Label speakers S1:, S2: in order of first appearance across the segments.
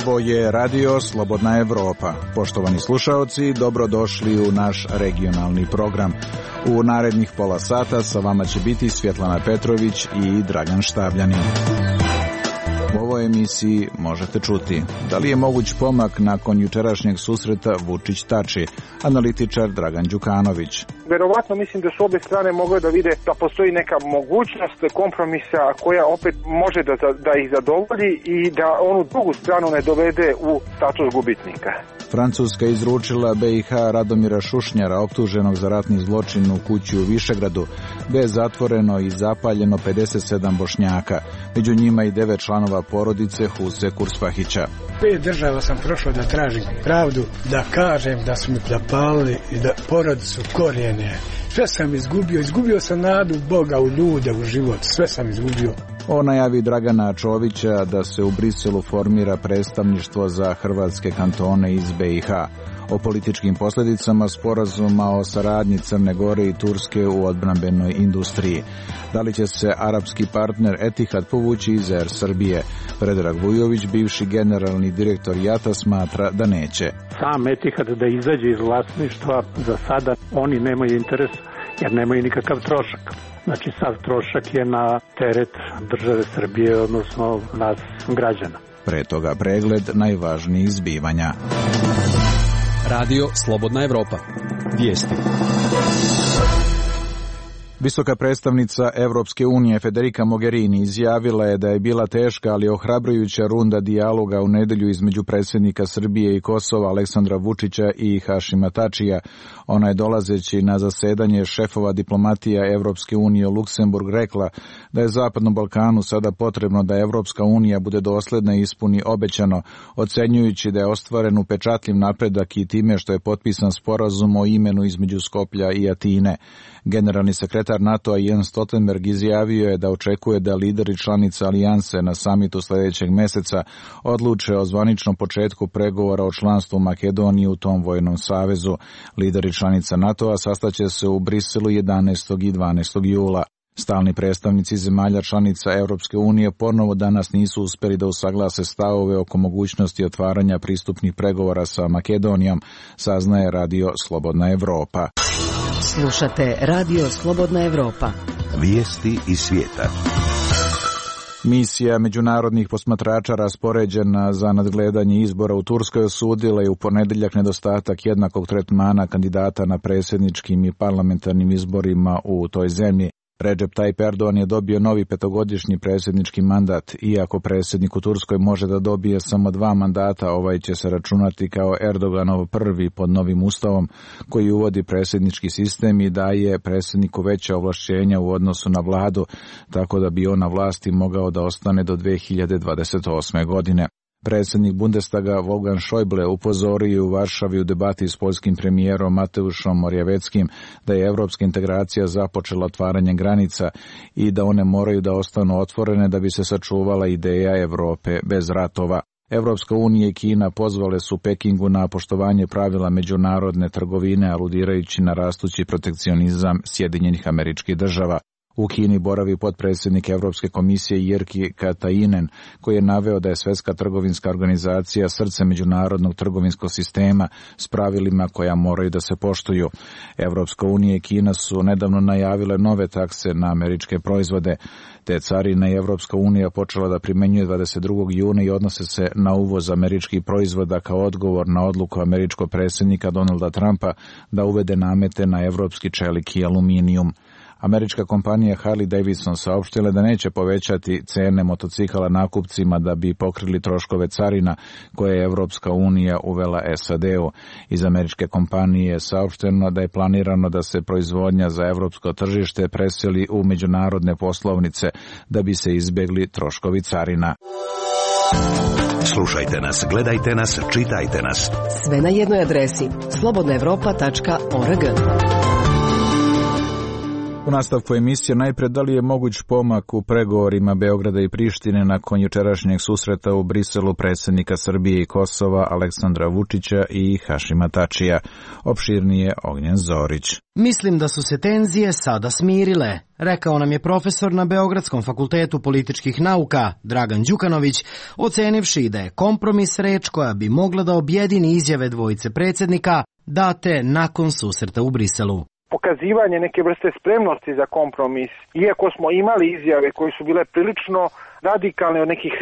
S1: Ovo je Radio Slobodna Evropa. Poštovani slušaoci, dobrodošli u naš regionalni program. U narednih pola sata sa vama će biti Svjetlana Petrović i Dragan Štabljanin. U ovoj emisiji možete čuti da li je moguć pomak nakon jučerašnjeg susreta Vučić-Tači, analitičar Dragan Đukanović.
S2: Verovatno mislim da su obje strane mogle da vide da postoji neka mogućnost kompromisa koja opet može da ih zadovolji i da onu drugu stranu ne dovede u status gubitnika.
S1: Francuska izručila BiH Radomira Šušnjara, optuženog za ratni zločin u kući u Višegradu, gde je zatvoreno i zapaljeno 57 Bošnjaka, među njima i 9 članova porodice Huse Kurspahića.
S3: 5 država sam prošao da tražim pravdu, da kažem da su mi zapalili i da porodicu korijene. Sve sam izgubio sam nadu Boga u ljude, u život, sve sam izgubio.
S1: O najavi Dragana Čovića da se u Briselu formira predstavništvo za hrvatske kantone iz BiH, o političkim posljedicama sporazuma o saradnji Crne Gore i Turske u odbrambenoj industriji. Da li će se arapski partner Etihad povući iz Air Srbije? Predrag Vujović, bivši generalni direktor JAT-a, smatra da neće.
S4: Sam Etihad da izađe iz vlasništva, za sada oni nemaju interes jer nemaju nikakav trošak. Znači sav trošak je na teret države Srbije, odnosno nas građana.
S1: Pre toga pregled najvažnijih zbivanja.
S5: Radio Slobodna Evropa. Vijesti.
S1: Visoka predstavnica Evropske unije Federica Mogherini izjavila je da je bila teška, ali ohrabrujuća runda dijaloga u nedelju između predsjednika Srbije i Kosova Aleksandra Vučića i Hašima Tačija. Ona je dolazeći na zasedanje šefova diplomatija Evropske unije u Luksemburg rekla da je Zapadnom Balkanu sada potrebno da Evropska unija bude dosledna i ispuni obećano, ocenjujući da je ostvaren upečatljiv napredak i time što je potpisan sporazum o imenu između Skoplja i Atine. Generalni sekretar NATO-a Jens Stoltenberg izjavio je da očekuje da lideri članica alijanse na samitu sljedećeg meseca odluče o zvaničnom početku pregovora o članstvu Makedonije u tom vojnom savezu. Lideri članica NATO-a sastaće se u Briselu 11. i 12. jula. Stalni predstavnici zemalja članica Europske unije ponovo danas nisu uspjeli da usaglase stavove oko mogućnosti otvaranja pristupnih pregovora sa Makedonijom, saznaje Radio Slobodna Evropa.
S6: Slušate Radio Slobodna Evropa.
S7: Vijesti iz svijeta.
S1: Misija međunarodnih posmatrača raspoređena za nadgledanje izbora u Turskoj osudila je u ponedjeljak nedostatak jednakog tretmana kandidata na predsjedničkim i parlamentarnim izborima u toj zemlji. Recep Tayyip Erdogan je dobio novi 5-godišnji predsjednički mandat. Iako predsjednik u Turskoj može da dobije samo 2 mandata, ovaj će se računati kao Erdoganov prvi pod novim ustavom koji uvodi predsjednički sistem i daje predsjedniku veća ovlašćenja u odnosu na vladu, tako da bi on na vlasti mogao da ostane do 2028. godine. Predsjednik Bundestaga Wolfgang Schäuble upozorio u Varšavi u debati s poljskim premijerom Mateuszem Morawieckim da je evropska integracija započela otvaranje granica i da one moraju da ostanu otvorene da bi se sačuvala ideja Evrope bez ratova. Evropska unija i Kina pozvale su Pekingu na poštovanje pravila međunarodne trgovine, aludirajući na rastući protekcionizam Sjedinjenih Američkih Država. U Kini boravi potpredsjednik Evropske komisije Jyrki Katainen, koji je naveo da je Svjetska trgovinska organizacija srce međunarodnog trgovinskog sistema s pravilima koja moraju da se poštuju. Evropska unija i Kina su nedavno najavile nove takse na američke proizvode. Te carine i Evropska unija počela da primenjuje 22. juna i odnose se na uvoz američkih proizvoda kao odgovor na odluku američkog predsjednika Donalda Trumpa da uvede namete na evropski čelik i aluminijum. Američka kompanija Harley Davidson saopštila da neće povećati cene motocikala nakupcima da bi pokrili troškove carina koje je Evropska unija uvela SAD-u. Iz američke kompanije je saopšteno da je planirano da se proizvodnja za evropsko tržište preseli u međunarodne poslovnice da bi se izbjegli troškovi carina.
S7: Slušajte nas, gledajte nas, čitajte nas.
S6: Sve na jednoj adresi slobodnaevropa.org.
S1: U nastavku emisije najpre da li je moguć pomak u pregovorima Beograda i Prištine nakon jučerašnjeg susreta u Briselu predsjednika Srbije i Kosova Aleksandra Vučića i Hašima Tačija. Opširnije Ognjen Zorić.
S8: Mislim da su se tenzije sada smirile, rekao nam je profesor na Beogradskom fakultetu političkih nauka Dragan Đukanović, ocenivši da je kompromis reč koja bi mogla da objedini izjave dvojice predsjednika date nakon susreta u Briselu.
S2: Pokazivanje neke vrste spremnosti za kompromis, iako smo imali izjave koje su bile prilično radikalne od nekih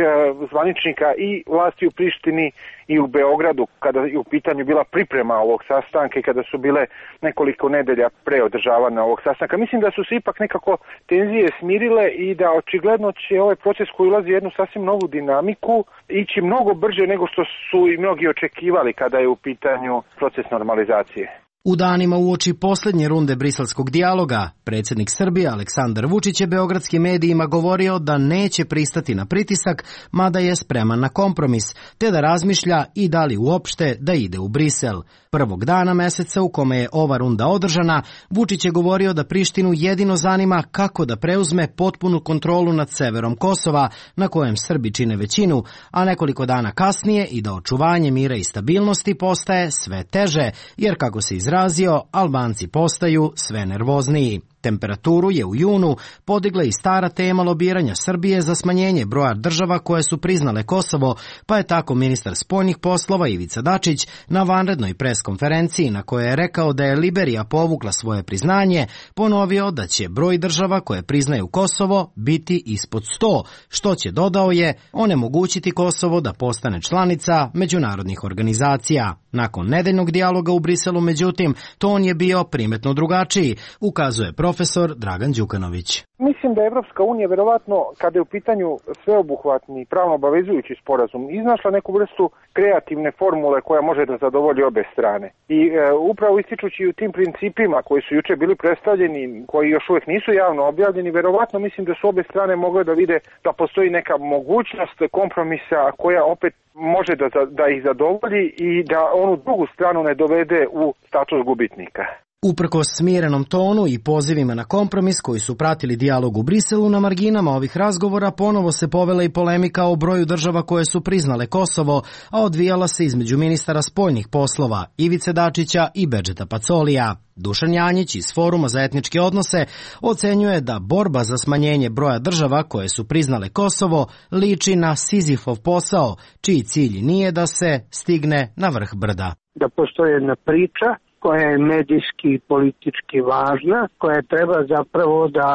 S2: zvaničnika i vlasti u Prištini i u Beogradu, kada je u pitanju bila priprema ovog sastanka i kada su bile nekoliko nedelja pre održavanja ovog sastanka. Mislim da su se ipak nekako tenzije smirile i da očigledno će ovaj proces koji ulazi jednu sasvim novu dinamiku ići mnogo brže nego što su i mnogi očekivali kada je u pitanju proces normalizacije.
S8: U danima uoči posljednje runde briselskog dijaloga, predsjednik Srbije Aleksandar Vučić je beogradskim medijima govorio da neće pristati na pritisak, mada je spreman na kompromis, te da razmišlja i da li uopšte da ide u Brisel. Prvog dana meseca u kome je ova runda održana, Vučić je govorio da Prištinu jedino zanima kako da preuzme potpunu kontrolu nad severom Kosova, na kojem Srbi čine većinu, a nekoliko dana kasnije i da očuvanje mira i stabilnosti postaje sve teže, jer kako se izrazio, Albanci postaju sve nervozniji. Temperaturu je u junu podigla i stara tema lobiranja Srbije za smanjenje broja država koje su priznale Kosovo, pa je tako ministar spoljnih poslova Ivica Dačić na vanrednoj preskonferenciji na kojoj je rekao da je Liberija povukla svoje priznanje, ponovio da će broj država koje priznaju Kosovo biti ispod 100, što će, dodao je, onemogućiti Kosovo da postane članica međunarodnih organizacija. Nakon nedeljnog dijaloga u Briselu, međutim, ton je bio primetno drugačiji, ukazuje profesor Dragan Đukanović.
S2: Mislim da je Evropska unija verovatno, kada je u pitanju sveobuhvatni pravno obavezujući sporazum, iznašla neku vrstu kreativne formule koja može da zadovolji obe strane. I upravo ističući u tim principima koji su juče bili predstavljeni, koji još uvijek nisu javno objavljeni, verovatno mislim da su obe strane mogle da vide da postoji neka mogućnost kompromisa koja opet može da ih zadovolji i da onu drugu stranu ne dovede u status gubitnika.
S8: Uprkos smirenom tonu i pozivima na kompromis koji su pratili dijalog u Briselu, na marginama ovih razgovora ponovo se povela i polemika o broju država koje su priznale Kosovo, a odvijala se između ministara spoljnih poslova Ivice Dačića i Bedžeta Pacolija. Dušan Janjić iz Foruma za etničke odnose ocenjuje da borba za smanjenje broja država koje su priznale Kosovo liči na Sizifov posao, čiji cilj nije da se stigne na vrh brda.
S9: Da postoji jedna priča koja je medijski i politički važna, koja treba zapravo da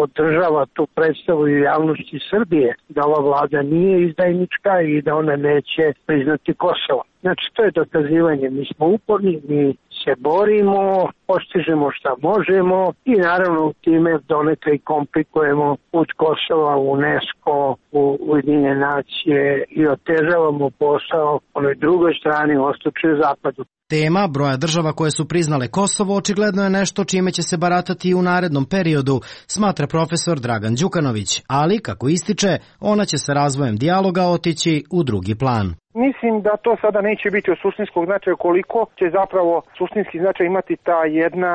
S9: održava tu predstavu i javnosti Srbije, da ova vlada nije izdajnička i da ona neće priznati Kosovo. Znači, to je dokazivanje. Mi smo uporni, mi se borimo, postižemo šta možemo i naravno time donekle i komplikujemo put Kosova u UNESCO, u Ujedinjene nacije i otežavamo posao onoj drugoj strani, u istoku i zapadu.
S8: Tema broja država koje su priznale Kosovo očigledno je nešto čime će se baratati i u narednom periodu, smatra profesor Dragan Đukanović, ali, kako ističe, ona će sa razvojem dijaloga otići u drugi plan.
S2: Mislim da to sada neće biti od suštinskog značaja, koliko će zapravo suštinski značaj imati ta jedna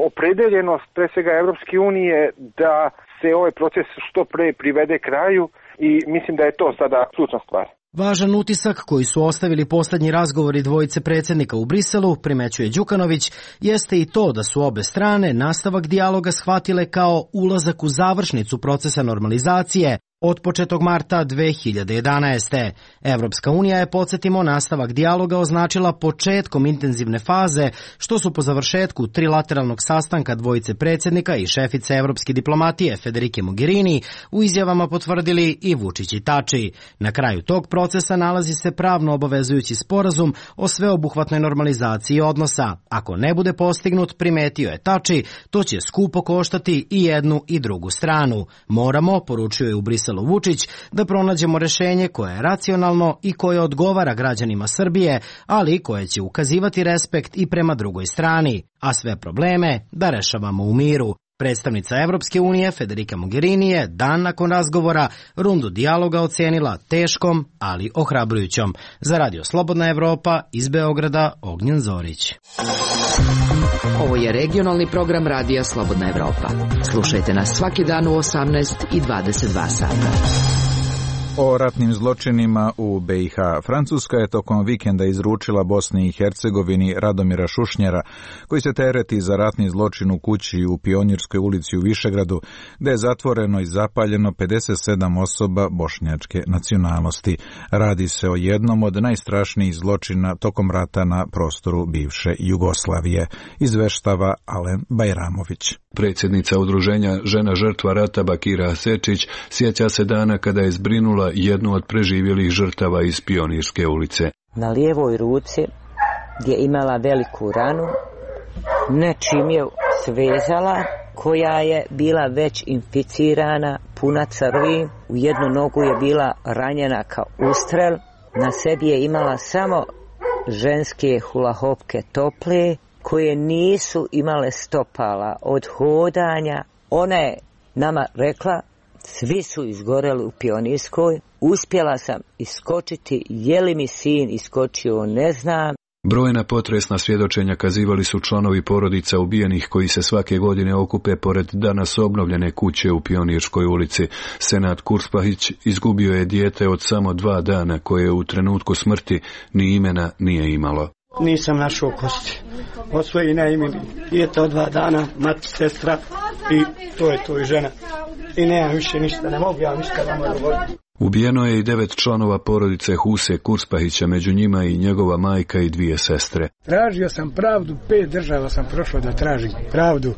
S2: opredeljenost, pre svega Evropske unije, da se ovaj proces što pre privede kraju i mislim da je to sada ključna stvar.
S8: Važan utisak koji su ostavili posljednji razgovori dvojice predsjednika u Briselu, primećuje Đukanović, jeste i to da su obe strane nastavak dijaloga shvatile kao ulazak u završnicu procesa normalizacije od početog marta 2011. Evropska unija je, podsjetimo, nastavak dijaloga označila početkom intenzivne faze, što su po završetku trilateralnog sastanka dvojice predsjednika i šefice evropske diplomatije Federike Mogherini u izjavama potvrdili i Vučić i Tači. Na kraju tog procesa nalazi se pravno obavezujući sporazum o sveobuhvatnoj normalizaciji odnosa. Ako ne bude postignut, primetio je Tači, to će skupo koštati i jednu i drugu stranu. Moramo, poručio je u Briselu Vučić, da pronađemo rešenje koje je racionalno i koje odgovara građanima Srbije, ali koje će ukazivati respekt i prema drugoj strani, a sve probleme da rešavamo u miru. Predstavnica Evropske unije Federica Mogherini je dan nakon razgovora rundu dijaloga ocenila teškom, ali ohrabrujućom. Za Radio Slobodna Evropa iz Beograda Ognjen Zorić.
S6: Ovo je regionalni program Radija Slobodna Evropa. Slušajte nas svaki dan u 18 i 22 sata.
S1: O ratnim zločinima u BiH. Francuska je tokom vikenda izručila Bosni i Hercegovini Radomira Šušnjara, koji se tereti za ratni zločin u kući u Pionirskoj ulici u Višegradu, gde je zatvoreno i zapaljeno 57 osoba bošnjačke nacionalnosti. Radi se o jednom od najstrašnijih zločina tokom rata na prostoru bivše Jugoslavije, izveštava Alen Bajramović.
S10: Predsjednica udruženja Žena žrtva rata Bakira Hasečić sjeća se dana kada je zbrinula jednu od preživjelih žrtava iz Pionirske ulice.
S11: Na lijevoj ruci gdje imala veliku ranu, nečim je svezala, koja je bila već inficirana, puna crvi, u jednu nogu je bila ranjena kao ustrel, na sebi je imala samo ženske hulahopke tople, koje nisu imale stopala od hodanja. Ona je nama rekla, svi su izgoreli u Pionirskoj, uspjela sam iskočiti, je li mi sin iskočio, ne znam.
S10: Brojna potresna svjedočenja kazivali su članovi porodica ubijenih koji se svake godine okupe pored danas obnovljene kuće u Pionirskoj ulici. Senad Kurspahić izgubio je dijete od samo 2 dana koje u trenutku smrti ni imena nije imalo.
S12: Nisam našao kosti. Od svoje najmili dijete od 2 dana, mati, sestra i to je žena. I nemam više ništa, ne mogu ja ništa vama govoriti.
S10: Ubijeno je i 9 članova porodice Huse Kurspahića, među njima i njegova majka i 2 sestre.
S3: Tražio sam pravdu, 5 država sam prošao da tražim pravdu,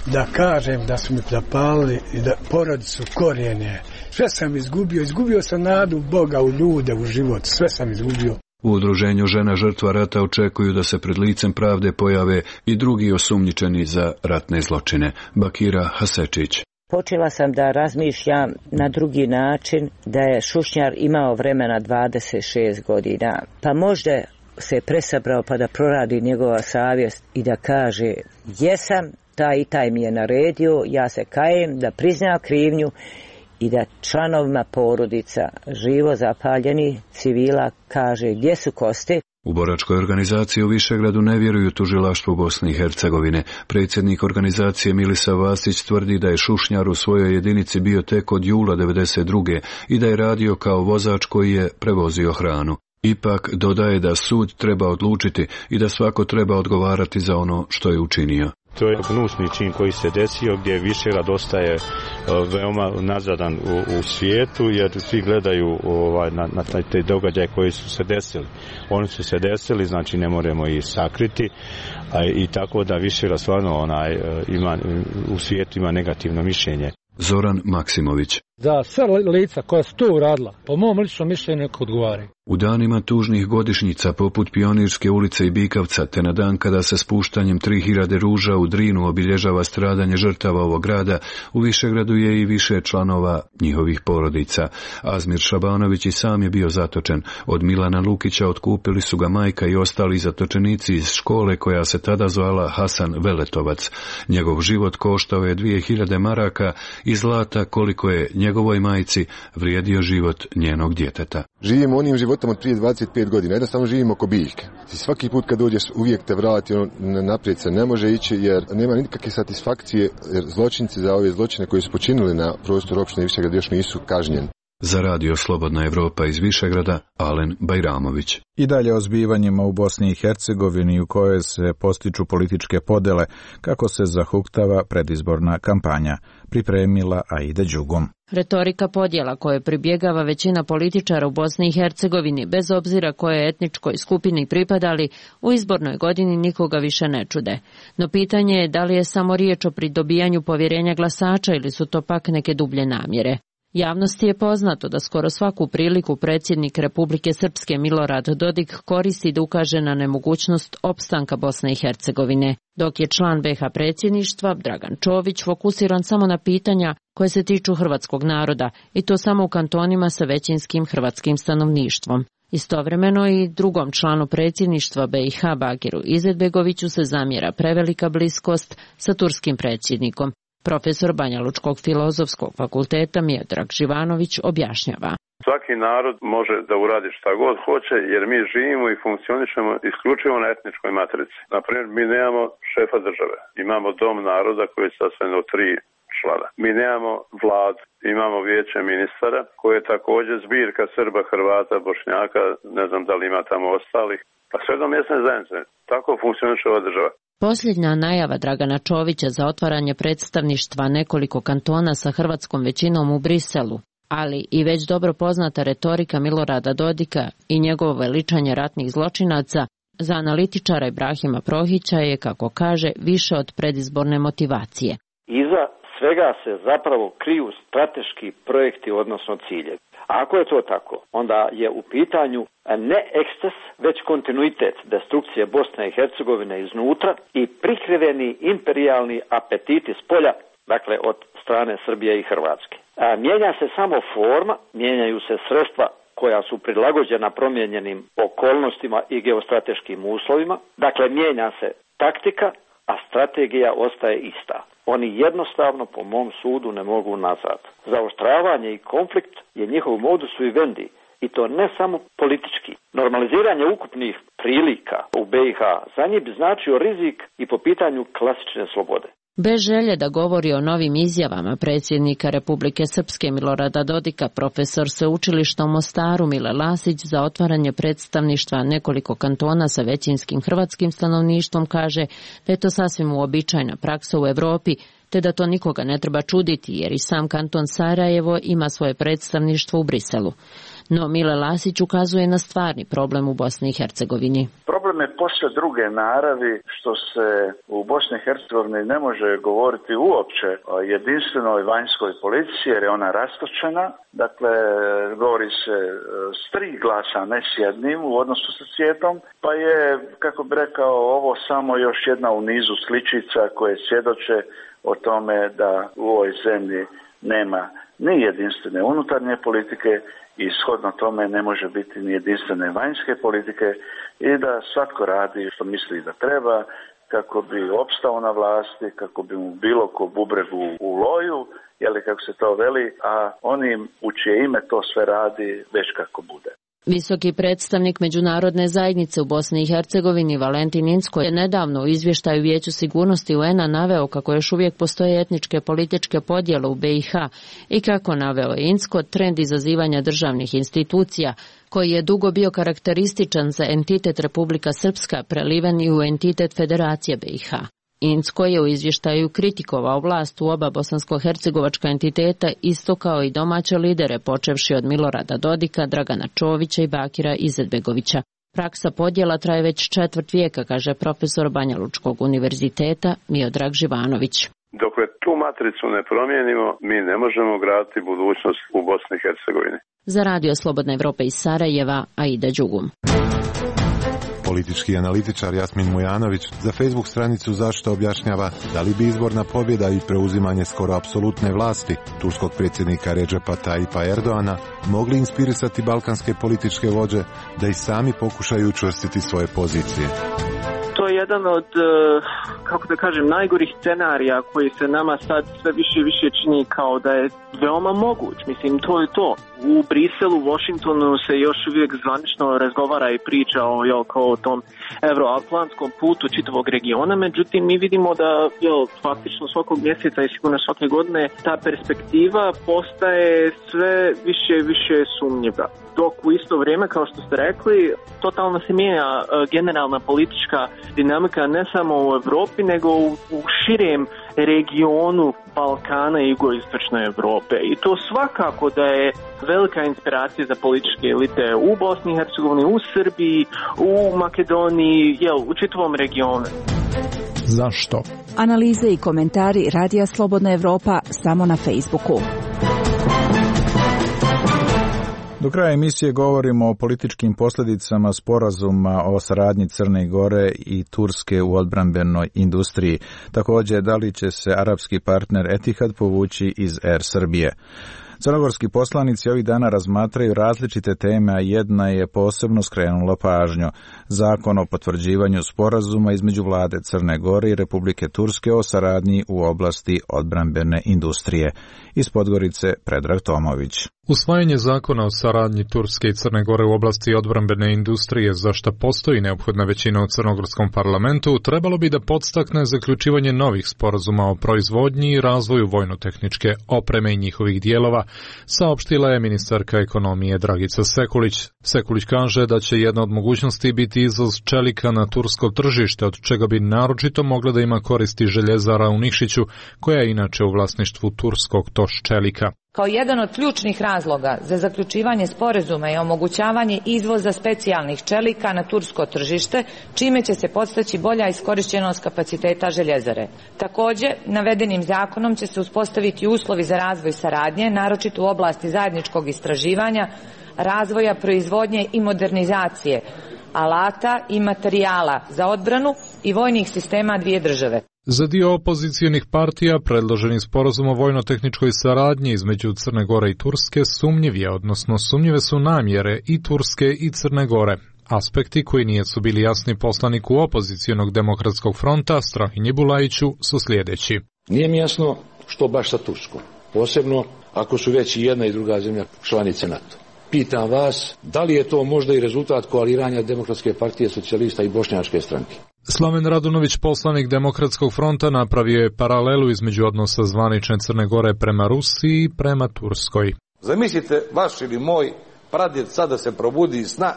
S3: da kažem da su mi zapalili i da porodicu korijene. Sve sam izgubio sam nadu Boga u ljude, u život, sve sam izgubio.
S10: U udruženju Žena žrtva rata očekuju da se pred licem pravde pojave i drugi osumnjičeni za ratne zločine. Bakira Hasečić.
S11: Počela sam da razmišljam na drugi način, da je Šušnjar imao vremena 26 godina. Pa možda se presabrao pa da proradi njegova savjest i da kaže, jesam, taj i taj mi je naredio, ja se kajem, da prizna krivnju i da članovima porodica živo zapaljeni civila kaže gdje su kosti.
S10: U boračkoj organizaciji u Višegradu ne vjeruju tužilaštvu Bosne i Hercegovine. Predsjednik organizacije Milisa Vasić tvrdi da je Šušnjar u svojoj jedinici bio tek od jula 1992. i da je radio kao vozač koji je prevozio hranu. Ipak dodaje da sud treba odlučiti i da svako treba odgovarati za ono što je učinio.
S13: To je gnusni čin koji se desio gdje Višegrad ostaje veoma nazadan u svijetu jer svi gledaju na te događaje koji su se desili. Oni su se desili, znači ne moramo ih sakriti i tako da Višegrad stvarno u svijetu ima negativno mišljenje.
S10: Zoran Maksimović.
S14: Da sva lica koja su to uradila, po mom ličnom mišljenju neko odgovaraju.
S10: U danima tužnih godišnjica poput Pionirske ulice i Bikavca, te na dan kada se spuštanjem 3000 ruža u Drinu obilježava stradanje žrtava ovog grada, u Višegradu je i više članova njihovih porodica. Azmir Šabanović i sam je bio zatočen. Od Milana Lukića otkupili su ga majka i ostali zatočenici iz škole koja se tada zvala Hasan Veletovac. Njegov život koštao je 2000 maraka i zlata koliko je njegovoj majci vrijedio život njenog djeteta.
S15: Živimo onim životom od prije 25 godina, jednostavno živimo ko biljke. Svaki put kad dođeš uvijek te vrati, naprijed se ne može ići jer nema nikakve satisfakcije jer zločinci za ove zločine koji su počinili na prostoru opštine Višegrad još nisu kažnjeni.
S10: Za Radio Slobodna Evropa iz Višegrada, Alen Bajramović.
S1: I dalje o zbivanjima u Bosni i Hercegovini u kojoj se postiču političke podele kako se zahuktava predizborna kampanja, pripremila Aida Đugom.
S16: Retorika podjela koje pribjegava većina političara u Bosni i Hercegovini, bez obzira koje etničkoj skupini pripadali, u izbornoj godini nikoga više ne čude. No pitanje je da li je samo riječ o pridobijanju povjerenja glasača ili su to pak neke dublje namjere. Javnosti je poznato da skoro svaku priliku predsjednik Republike Srpske Milorad Dodik koristi da ukaže na nemogućnost opstanka Bosne i Hercegovine, dok je član BiH predsjedništva Dragan Čović fokusiran samo na pitanja koje se tiču hrvatskog naroda i to samo u kantonima sa većinskim hrvatskim stanovništvom. Istovremeno i drugom članu predsjedništva BiH Bakiru Izetbegoviću se zamjera prevelika bliskost sa turskim predsjednikom Profesor Banjalučkog filozofskog fakulteta Miodrag Živanović objašnjava.
S17: Svaki narod može da uradi šta god hoće, jer mi živimo i funkcionišemo isključivo na etničkoj matrici. Naprimjer, mi nemamo šefa države, imamo dom naroda koji je sastavljen od 3 člana. Mi nemamo vladu, imamo vijeće ministara koje je također zbirka Srba, Hrvata, Bošnjaka, ne znam da li ima tamo ostalih, pa sve do mjesne zajednice. Tako funkcioniše ova država.
S16: Posljednja najava Dragana Čovića za otvaranje predstavništva nekoliko kantona sa hrvatskom većinom u Briselu, ali i već dobro poznata retorika Milorada Dodika i njegovo veličanje ratnih zločinaca, za analitičara Ibrahima Prohića je, kako kaže, više od predizborne motivacije.
S18: Iza svega se zapravo kriju strateški projekti, odnosno ciljevi. A ako je to tako, onda je u pitanju ne eksces, već kontinuitet destrukcije Bosne i Hercegovine iznutra i prikriveni imperijalni apetiti s polja, dakle od strane Srbije i Hrvatske. Mijenja se samo forma, mijenjaju se sredstva koja su prilagođena promijenjenim okolnostima i geostrateškim uslovima. Dakle, mijenja se taktika, a strategija ostaje ista. Oni jednostavno, po mom sudu, ne mogu nazad. Zaoštravanje i konflikt je njihov modus vivendi, i to ne samo politički. Normaliziranje ukupnih prilika u BiH za njih bi značio rizik i po pitanju klasične slobode.
S16: Bez želje da govori o novim izjavama predsjednika Republike Srpske Milorada Dodika, profesor sveučilišta u Mostaru Mile Lasić za otvaranje predstavništva nekoliko kantona sa većinskim hrvatskim stanovništvom kaže da je to sasvim uobičajena praksa u Europi, te da to nikoga ne treba čuditi jer i sam kanton Sarajevo ima svoje predstavništvo u Briselu. No Mile Lasić ukazuje na stvarni problem u Bosni i Hercegovini.
S19: Problem je posve druge naravi, što se u Bosni i Hercegovini ne može govoriti uopće o jedinstvenoj vanjskoj politici jer je ona rastočena. Dakle, govori se s 3 glasa, ne s jednim u odnosu sa svijetom, pa je, kako bi rekao, ovo samo još jedna u nizu sličica koje svjedoče o tome da u ovoj zemlji nema ni jedinstvene unutarnje politike i shodno tome ne može biti ni jedinstvene vanjske politike i da svatko radi što misli da treba kako bi opstao na vlasti, kako bi mu bilo ko bubregu u loju, jeli kako se to veli, a onim u čije ime to sve radi već kako bude.
S16: Visoki predstavnik međunarodne zajednice u Bosni i Hercegovini Valentin Incko je nedavno u izvještaju Vijeću sigurnosti UN-a naveo kako još uvijek postoje etničke političke podjele u BiH i kako naveo je Incko trend izazivanja državnih institucija koji je dugo bio karakterističan za entitet Republika Srpska preliven i u entitet Federacije BiH. Incko je u izvještaju kritikovao vlast u oba bosansko-hercegovačka entiteta isto kao i domaće lidere počevši od Milorada Dodika, Dragana Čovića i Bakira Izetbegovića. Praksa podjela traje već 1/4 vijeka, kaže profesor Banjalučkog univerziteta Miodrag Živanović.
S17: Dokle tu matricu ne promijenimo, mi ne možemo graditi budućnost u Bosni i Hercegovini.
S16: Za Radio Slobodna Evropa iz Sarajeva, Aida Đugum.
S20: Politički analitičar Jasmin Mujanović za Facebook stranicu Zašto objašnjava da li bi izborna pobjeda i preuzimanje skoro apsolutne vlasti turskog predsjednika Redžepa Tayyipa Erdoana mogli inspirisati balkanske političke vođe da i sami pokušaju učvrstiti svoje pozicije.
S21: To je jedan od, kako da kažem, najgorih scenarija koji se nama sad sve više i više čini kao da je veoma moguć. Mislim, to je to. U Briselu, u Washingtonu se još uvijek zvanično razgovara i priča o tom euroatlantskom putu čitavog regiona, međutim mi vidimo da faktično svakog mjeseca i sigurno svake godine ta perspektiva postaje sve više i više sumnjiva. Dok u isto vrijeme, kao što ste rekli, totalno se mijenja generalna politička dinamika ne samo u Europi, nego u širem regionu Balkana i jugoistočne Europe. I to svakako da je velika inspiracija za političke elite u Bosni i Hercegovini, u Srbiji, u Makedoniji, u čitavom regionu.
S22: Zašto? Analize i komentari Radija Slobodna Evropa samo na Facebooku.
S1: Do kraja emisije govorimo o političkim posljedicama sporazuma o saradnji Crne Gore i Turske u odbrambenoj industriji. Također, da li će se arapski partner Etihad povući iz Air Srbije. Crnogorski poslanici ovih dana razmatraju različite teme, a jedna je posebno skrenula pažnju. Zakon o potvrđivanju sporazuma između vlade Crne Gore i Republike Turske o saradnji u oblasti odbrambene industrije. Iz Podgorice Predrag Tomović.
S4: Usvajanje zakona o saradnji Turske i Crne Gore u oblasti odbrambene industrije, za što postoji neophodna većina u crnogorskom parlamentu, trebalo bi da podstakne zaključivanje novih sporazuma o proizvodnji i razvoju vojno-tehničke opreme i njihovih dijelova, saopštila je ministarka ekonomije Dragica Sekulić. Sekulić kaže da će jedna od mogućnosti biti izvoz čelika na tursko tržište, od čega bi naročito mogla da ima koristi željezara u Nikšiću, koja je inače u vlasništvu turskog TOŠ čelika.
S5: Kao jedan od ključnih razloga za zaključivanje sporazuma je omogućavanje izvoza specijalnih čelika na tursko tržište, čime će se podstaći bolja iskorišćenost kapaciteta željezare. Također, navedenim zakonom će se uspostaviti uslovi za razvoj saradnje, naročito u oblasti zajedničkog istraživanja, razvoja, proizvodnje i modernizacije alata i materijala za odbranu i vojnih sistema dvije države.
S4: Za dio opozicionih partija predloženi sporazum o vojno-tehničkoj saradnji između Crne Gore i Turske sumnjiv je, odnosno sumnjive su namjere i Turske i Crne Gore. Aspekti koji nisu bili jasni poslaniku opozicionog demokratskog fronta Strahinji Bulajiću su sljedeći.
S23: Nije mi jasno što baš sa Turskom, posebno ako su već i jedna i druga zemlja članice NATO. Pitam vas, da li je to možda i rezultat koaliranja Demokratske partije socijalista i Bošnjačke stranke?
S4: Slaven Radunović, poslanik Demokratskog fronta, napravio je paralelu između odnosa zvanične Crne Gore prema Rusiji i prema Turskoj.
S24: Zamislite vaš ili moj pradjed sada se probudi iz sna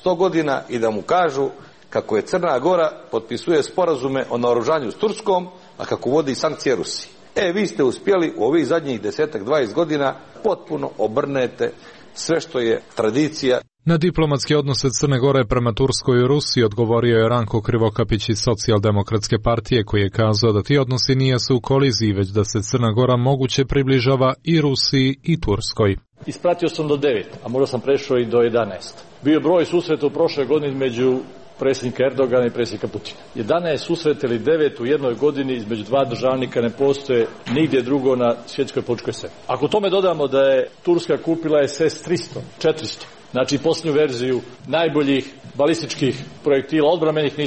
S24: 100 godina i da mu kažu kako je Crna Gora potpisuje sporazume o naoružanju s Turskom, a kako vodi sankcije Rusiji. Vi ste uspjeli u ovih zadnjih 10-20 godina potpuno obrnete sve što je tradicija.
S4: Na diplomatske odnose Crne Gore prema Turskoj i Rusiji odgovorio je Ranko Krivokapić iz Socijaldemokratske partije, koji je kazao da ti odnosi nisu u koliziji, već da se Crna Gora moguće približava i Rusiji i Turskoj.
S25: Ispratio sam do 9, a možda sam prešao i do 11. Bio broj susreta u prošloj godini između predsjednika Erdogana i predsjednika Putina. 11 susreta ili 9 u jednoj godini između dva državnika ne postoje nigdje drugo na svjetskoj političkoj sceni. Ako tome dodamo da je Turska kupila SS-300, 400, znači posljednju verziju najboljih balističkih projektila odbrambenih,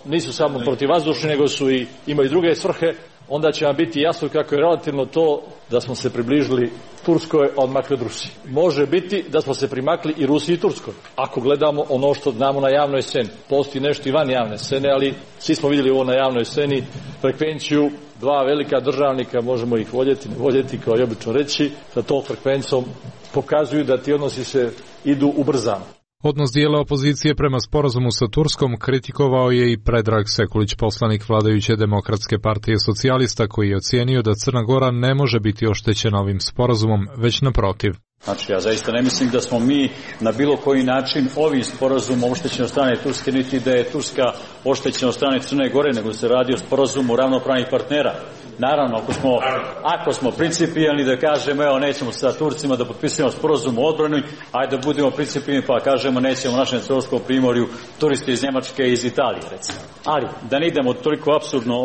S25: nisu samo protivvazdušni, nego su i imaju druge svrhe, onda će vam biti jasno kako je relativno to da smo se približili Turskoj, a odmakli od Rusiji. Može biti da smo se primakli i Rusiji i Turskoj. Ako gledamo ono što znamo na javnoj sceni, postoji nešto i van javne scene, ali svi smo vidjeli ovo na javnoj sceni, frekvenciju dva velika državnika, možemo ih voljeti, ne voljeti, kao i obično reći, sa tom frekvencom pokazuju da ti odnosi se idu ubrzano.
S4: Odnos dijela opozicije prema sporazumu sa Turskom kritikovao je i Predrag Sekulić, poslanik vladajuće Demokratske partije socijalista, koji je ocijenio da Crna Gora ne može biti oštećena ovim sporazumom, već naprotiv.
S26: Znači, ja zaista ne mislim da smo mi na bilo koji način ovim sporazumom oštećeni od strane Turske, niti da je Turska oštećena od strane Crne Gore, nego se radi o sporazumu ravnopravnih partnera. Naravno, ako smo principijelni da kažemo, evo, nećemo sa Turcima da potpisujemo sporazum o odbrani, ajde da budemo principijelni pa kažemo nećemo u našem Crnogorskom primorju turiste iz Njemačke i iz Italije, recimo. Ali, da ne idemo toliko apsurdno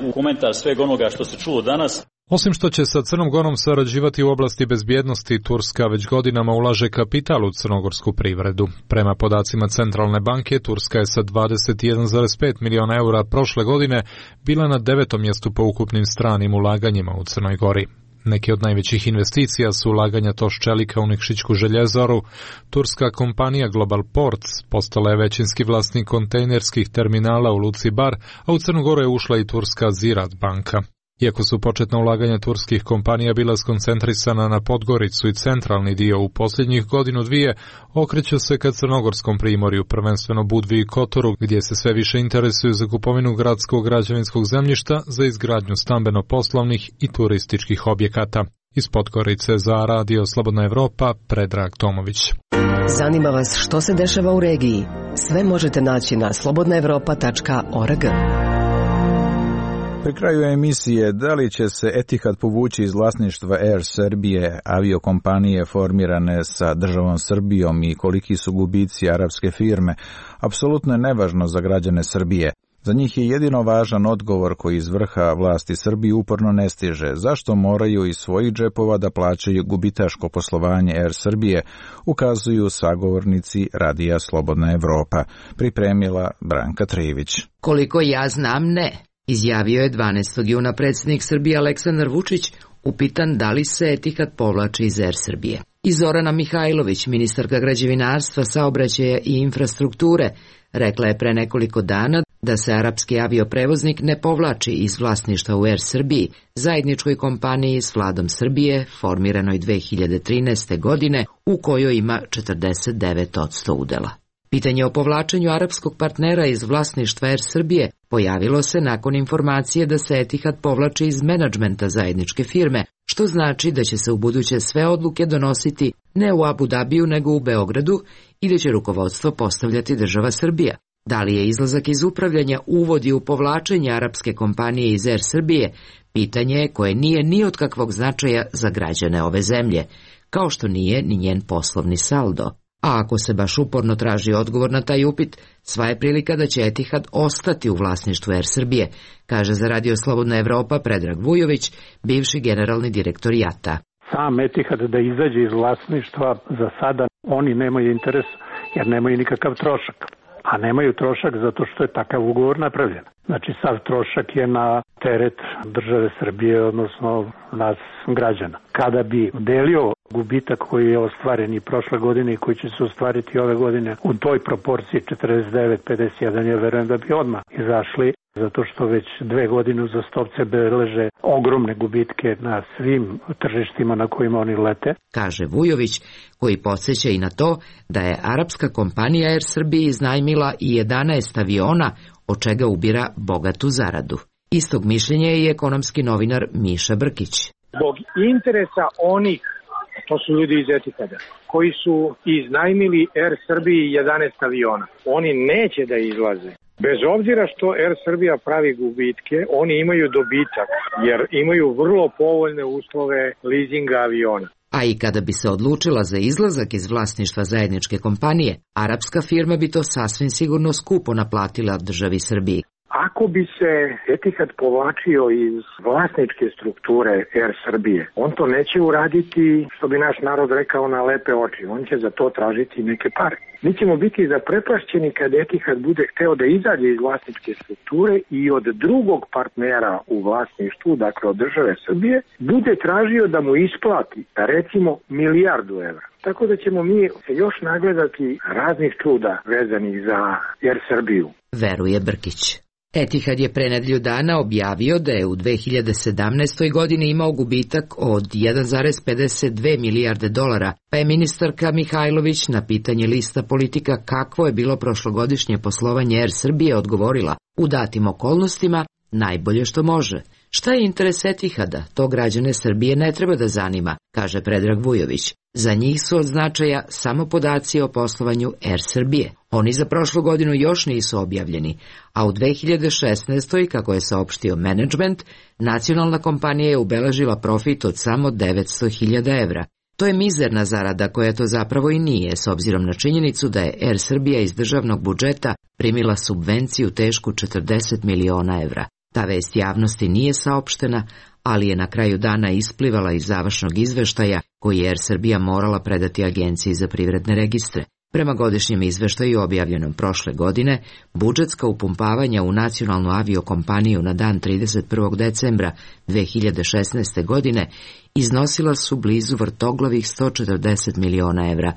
S26: u komentar svega onoga što se čulo danas.
S4: Osim što će sa Crnom Gorom sarađivati u oblasti bezbjednosti, Turska već godinama ulaže kapital u crnogorsku privredu. Prema podacima Centralne banke, Turska je sa 21,5 miliona eura prošle godine bila na 9. mjestu po ukupnim stranim ulaganjima u Crnoj Gori. Neki od najvećih investicija su ulaganja TOŠ čelika u Nikšićku željezaru. Turska kompanija Global Ports postala je većinski vlasnik kontejnerskih terminala u luci Bar, a u Crnu Goru je ušla i turska Ziraat banka. Iako su početna ulaganja turskih kompanija bila skoncentrisana na Podgoricu i centralni dio u posljednjih godinu dvije, okreću se ka crnogorskom primorju, prvenstveno Budvi i Kotoru, gdje se sve više interesuju za kupovinu gradskog građevinskog zemljišta za izgradnju stambeno-poslovnih i turističkih objekata. Iz Podgorice za Radio Slobodna Evropa, Predrag Tomović.
S27: Zanima vas što se dešava u regiji? Sve možete naći na slobodnaevropa.org.
S1: Pri kraju emisije, da li će se Etihad povući iz vlasništva Air Serbije, aviokompanije formirane sa državom Srbijom, i koliki su gubici arapske firme, apsolutno je nevažno za građane Srbije. Za njih je jedino važan odgovor koji iz vrha vlasti Srbije uporno ne stiže. Zašto moraju iz svojih džepova da plaćaju gubitaško poslovanje Air Srbije, ukazuju sagovornici Radija Slobodna Evropa. Pripremila Branka Trivić.
S2: Koliko ja znam, ne, izjavio je 12. juna predsjednik Srbije Aleksandar Vučić, upitan da li se Etihad povlači iz Air Srbije. I Zorana Mihajlović, ministarka građevinarstva, saobraćaja i infrastrukture, rekla je pre nekoliko dana da se arapski avioprevoznik ne povlači iz vlasništva u Air Srbiji, zajedničkoj kompaniji s vladom Srbije, formiranoj 2013. godine, u kojoj ima 49% udela. Pitanje o povlačenju arapskog partnera iz vlasništva Air Srbije pojavilo se nakon informacije da se Etihad povlači iz menadžmenta zajedničke firme, što znači da će se ubuduće sve odluke donositi ne u Abu Dabiju nego u Beogradu i da će rukovodstvo postavljati država Srbija. Da li je izlazak iz upravljanja uvodi u povlačenje arapske kompanije iz Air Srbije, pitanje je koje nije ni od kakvog značaja za građane ove zemlje, kao što nije ni njen poslovni saldo. A ako se baš uporno traži odgovor na taj upit, sva je prilika da će Etihad ostati u vlasništvu Air Srbije, kaže za Radio Slobodna Evropa Predrag Vujović, bivši generalni direktor JAT-a.
S3: Sam Etihad da izađe iz vlasništva za sada oni nemaju interes jer nemaju nikakav trošak. A nemaju trošak zato što je takav ugovor napravljen. Znači, sav trošak je na teret države Srbije, odnosno nas građana. Kada bi delio gubitak koji je ostvaren i prošle godine i koji će se ostvariti ove godine u toj proporciji 49-51, ja verujem da bi odmah izašli, zato što već 2 godine uzastopce beleže ogromne gubitke na svim tržištima na kojima oni lete.
S2: Kaže Vujović, koji podsjeća i na to da je arapska kompanija Air Srbije iznajmila i 11 aviona, od čega ubira bogatu zaradu. Istog mišljenja je i ekonomski novinar Miša Brkić.
S6: Zbog interesa onih, to su ljudi iz Etihada, koji su iznajmili Air Srbiji 11 aviona, oni neće da izlaze. Bez obzira što Air Srbija pravi gubitke, oni imaju dobitak, jer imaju vrlo povoljne uslove leasinga aviona.
S2: A i kada bi se odlučila za izlazak iz vlasništva zajedničke kompanije, arapska firma bi to sasvim sigurno skupo naplatila državi Srbiji.
S6: Ako bi se Etihad povlačio iz vlasničke strukture Air Srbije, on to neće uraditi, što bi naš narod rekao, na lepe oči. On će za to tražiti neke pare. Mi ćemo biti zaprepašćeni kad Etihad bude hteo da izađe iz vlasničke strukture i od drugog partnera u vlasništvu, dakle od države Srbije, bude tražio da mu isplati, recimo, $1 milijardu. Tako da ćemo mi se još nagledati raznih čuda vezanih za Air Srbiju.
S2: Veruje Brkić. Etihad je pre nedelju dana objavio da je u 2017. godini imao gubitak od 1,52 milijarde dolara, pa je ministarka Mihajlović na pitanje lista politika kakvo je bilo prošlogodišnje poslovanje Air Srbije odgovorila: u datim okolnostima najbolje što može. Šta je interes Etihada? To građane Srbije ne treba da zanima, kaže Predrag Vujović. Za njih su od značaja samo podaci o poslovanju Air Srbije. Oni za prošlu godinu još nisu objavljeni, a u 2016. kako je saopštio menadžment, nacionalna kompanija je ubeležila profit od samo 900.000 evra. To je mizerna zarada koja to zapravo i nije, s obzirom na činjenicu da je Air Srbija iz državnog budžeta primila subvenciju tešku 40 miliona evra. Ta vest javnosti nije saopštena, ali je na kraju dana isplivala iz završnog izveštaja koji je Air Srbija morala predati Agenciji za privredne registre. Prema godišnjem izveštaju objavljenom prošle godine, budžetska upumpavanja u nacionalnu aviokompaniju na dan 31. decembra 2016. godine iznosila su blizu vrtoglavih 140 miliona evra,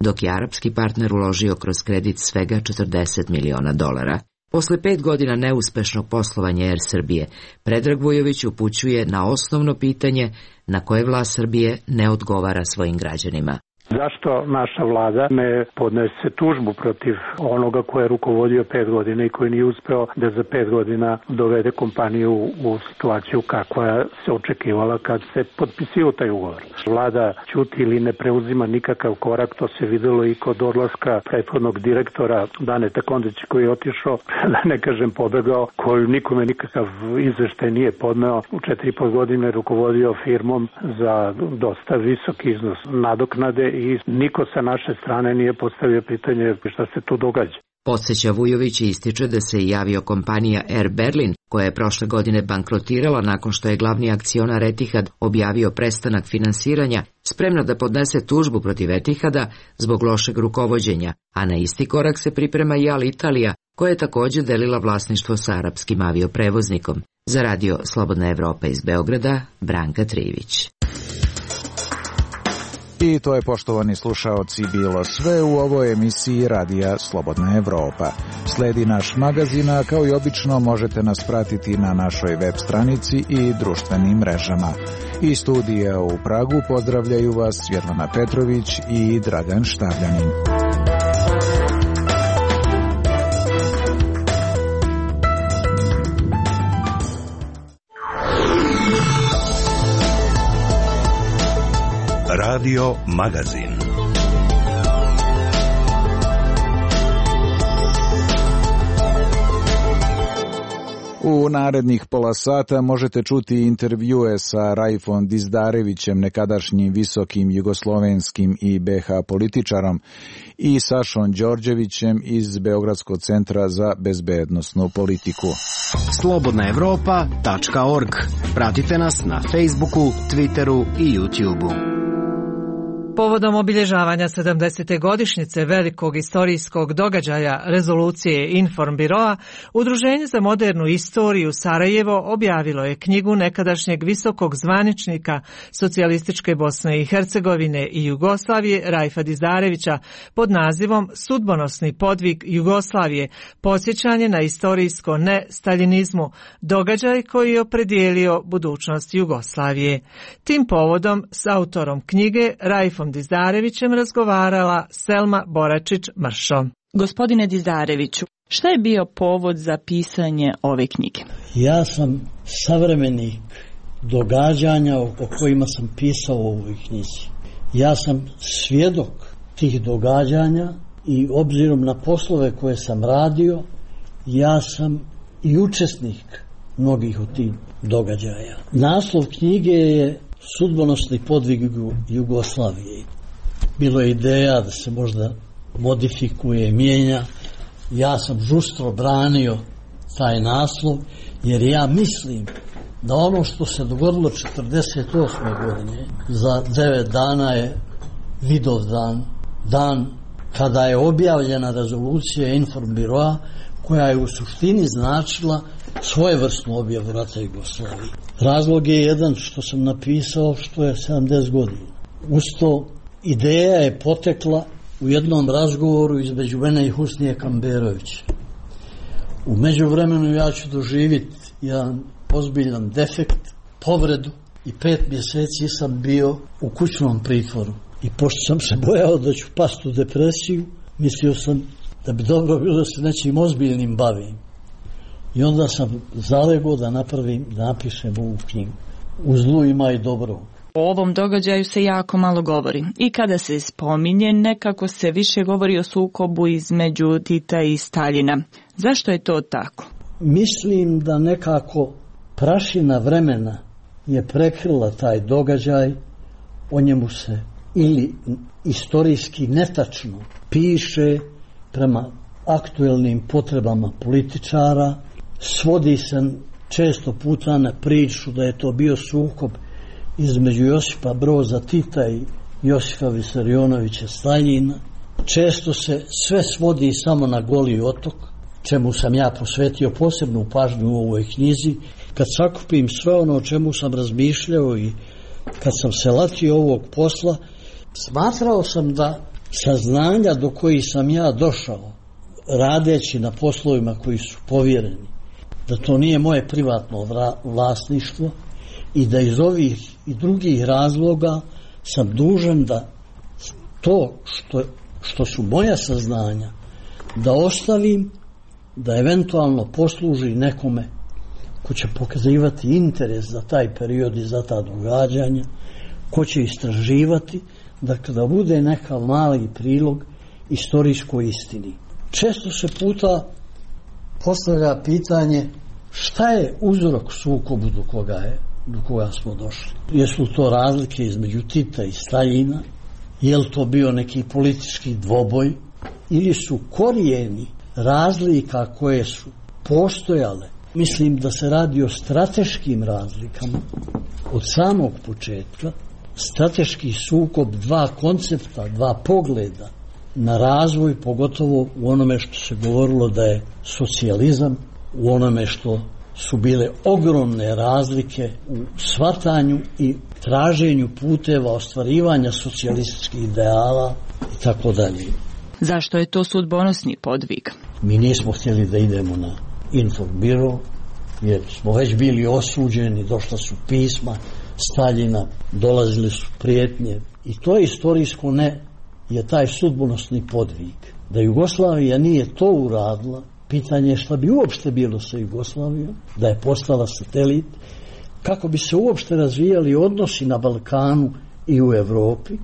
S2: dok je arapski partner uložio kroz kredit svega 40 miliona dolara. Posle 5 godina neuspešnog poslovanja Air Srbije, Predrag Vujović upućuje na osnovno pitanje na koje vlast Srbije ne odgovara svojim građanima.
S3: Zašto naša vlada ne podnese tužbu protiv onoga ko je rukovodio 5 godina i koji nije uspeo da za 5 godina dovede kompaniju u situaciju kakva se očekivala kad se potpisio taj ugovor? Vlada ćuti ili ne preuzima nikakav korak, to se videlo i kod odlaska prethodnog direktora Daneta Kondića koji je otišao, da ne kažem pobegao, koji nikome nikakav izveštaj nije podneo. U 4,5 godine rukovodio firmom za dosta visok iznos nadoknade i niko sa naše strane nije postavio pitanje šta se tu događa.
S2: Podseća Vujović i ističe da se i aviokompanija Air Berlin, koja je prošle godine bankrotirala nakon što je glavni akcionar Etihad objavio prestanak finansiranja, spremna da podnese tužbu protiv Etihada zbog lošeg rukovođenja, a na isti korak se priprema i Alitalia, koja je također delila vlasništvo sa arapskim avioprevoznikom. Za radio Slobodna Evropa iz Beograda, Branka Trivić.
S1: I to je, poštovani slušaoci, bilo sve u ovoj emisiji Radija Slobodna Evropa. Sledi naš magazin, a kao i obično možete nas pratiti na našoj web stranici i društvenim mrežama. Iz studija u Pragu pozdravljaju vas Svjetlana Petrović i Dragan Štavljanin.
S7: Radio Magazin.
S1: U narednih pola sata možete čuti intervjue sa Rajfom Dizdarevićem, nekadašnjim visokim jugoslovenskim i BH političarom, i Sašom Đorđevićem iz Beogradskog centra za bezbednosnu politiku.
S8: Slobodnaevropa.org. Pratite nas na Facebooku, Twitteru i YouTubeu.
S9: Povodom obilježavanja 70. godišnjice velikog istorijskog događaja rezolucije Informbiroa, Udruženje za modernu istoriju Sarajevo objavilo je knjigu nekadašnjeg visokog zvaničnika Socijalističke Bosne i Hercegovine i Jugoslavije Rajfa Dizdarevića pod nazivom Sudbonosni podvig Jugoslavije, podsjećanje na istorijsko ne-staljinizmu, događaj koji je opredijelio budućnost Jugoslavije. Tim povodom s autorom knjige Rajfom Dizdarevićem razgovarala Selma Boračić-Mršo.
S11: Gospodine Dizdareviću, šta je bio povod za pisanje ove knjige?
S12: Ja sam savremenik događanja o kojima sam pisao u ovoj knjizi. Ja sam svjedok tih događanja i obzirom na poslove koje sam radio, ja sam i učesnik mnogih od tih događaja. Naslov knjige je Sudbonosni podvig Jugoslavije. Bilo je ideja da se možda modifikuje, mijenja. Ja sam žustro branio taj naslov, jer ja mislim da ono što se dogodilo 1948. godine za 9 dana je Vidovdan, dan kada je objavljena rezolucija Informbiroa, koja je u suštini značila svojevrsnu objavu rata Jugoslavije. Razlog je jedan što sam napisao što je 70 godina. Uz to ideja je potekla u jednom razgovoru između mene i Husnije Kamberovića. U međuvremenu ja ću doživjeti jedan ozbiljan defekt, povredu, i 5 mjeseci sam bio u kućnom pritvoru. I pošto sam se bojao da ću pasti u depresiju, mislio sam da bi dobro bilo da se nečim ozbiljnim bavim. I onda sam zalegao da napišem ovu knjigu. U zlu ima i dobro.
S11: O ovom događaju se jako malo govori. I kada se spominje, nekako se više govori o sukobu između Tita i Staljina. Zašto je to tako?
S12: Mislim da nekako prašina vremena je prekrila taj događaj. O njemu se ili istorijski netačno piše prema aktuelnim potrebama političara. Svodi se često puta na priču da je to bio sukob između Josipa Broza Tita i Josipa Visarionovića Staljina. Često se sve svodi samo na Goli otok, čemu sam ja posvetio posebnu pažnju u ovoj knjizi. Kad sakupim sve ono o čemu sam razmišljao i kad sam se latio ovog posla, smatrao sam da saznanja do kojih sam ja došao radeći na poslovima koji su povjereni, da to nije moje privatno vlasništvo i da iz ovih i drugih razloga sam dužan da to što su moja saznanja da ostavim, da eventualno posluži nekome ko će pokazivati interes za taj period i za ta događanja, ko će istraživati, dakle da bude neka mali prilog istorijskoj istini. Često se puta postavlja pitanje šta je uzrok sukobu do koga smo došli. Jesu to razlike između Tita i Staljina? Je li to bio neki politički dvoboj? Ili su korijeni razlika koje su postojale, mislim da se radi o strateškim razlikama od samog početka, strateški sukob dva koncepta, dva pogleda na razvoj, pogotovo u onome što se govorilo da je socijalizam, u onome što su bile ogromne razlike u shvatanju i traženju puteva ostvarivanja socijalističkih ideala i tako dalje.
S11: Zašto je to sudbonosni podvig?
S12: Mi nismo htjeli da idemo na Informbiro, jer smo već bili osuđeni, došla su pisma Staljina, dolazile su prijetnje i to istorijsko je taj sudbonosni podvig. Da Jugoslavija nije to uradila, pitanje je šta bi uopšte bilo sa Jugoslavijom, da je postala satelit, kako bi se uopšte razvijali odnosi na Balkanu i u Evropi,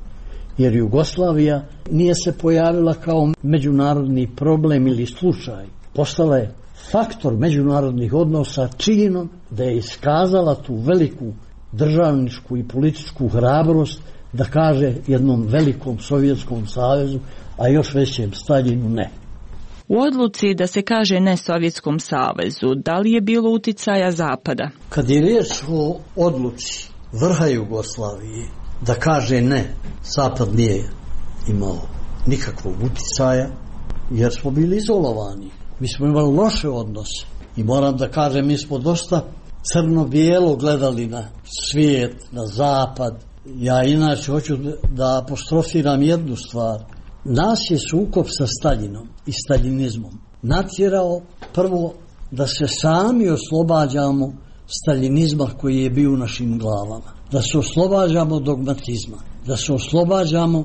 S12: jer Jugoslavija nije se pojavila kao međunarodni problem ili slučaj. Postala je faktor međunarodnih odnosa činom da je iskazala tu veliku državničku i političku hrabrost da kaže jednom velikom Sovjetskom savezu, a još većem Staljinu ne.
S11: U odluci da se kaže ne Sovjetskom savezu, da li je bilo uticaja Zapada?
S12: Kad je riječ o odluci vrha Jugoslavije da kaže ne, Zapad nije imao nikakvog uticaja, jer smo bili izolovani. Mi smo imali loše odnose i moram da kažem, mi smo dosta crno-bijelo gledali na svijet, na Zapad. Ja inače hoću da apostrofiram jednu stvar. Nas je sukob sa Staljinom i staljinizmom natjerao prvo da se sami oslobađamo staljinizma koji je bio u našim glavama, da se oslobađamo dogmatizma, da se oslobađamo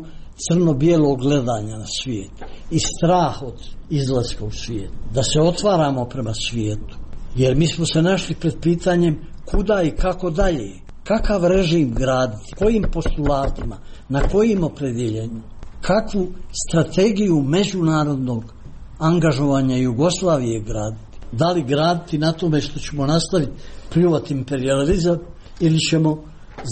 S12: crno-bijelog gledanja na svijet i strah od izlaska u svijet, da se otvaramo prema svijetu, jer mi smo se našli pred pitanjem kuda i kako dalje, kakav režim graditi, kojim postulatima, na kojim opredjeljenju, kakvu strategiju međunarodnog angažovanja Jugoslavije graditi. Da li graditi na tome što ćemo nastaviti pljuvati imperijalizam ili ćemo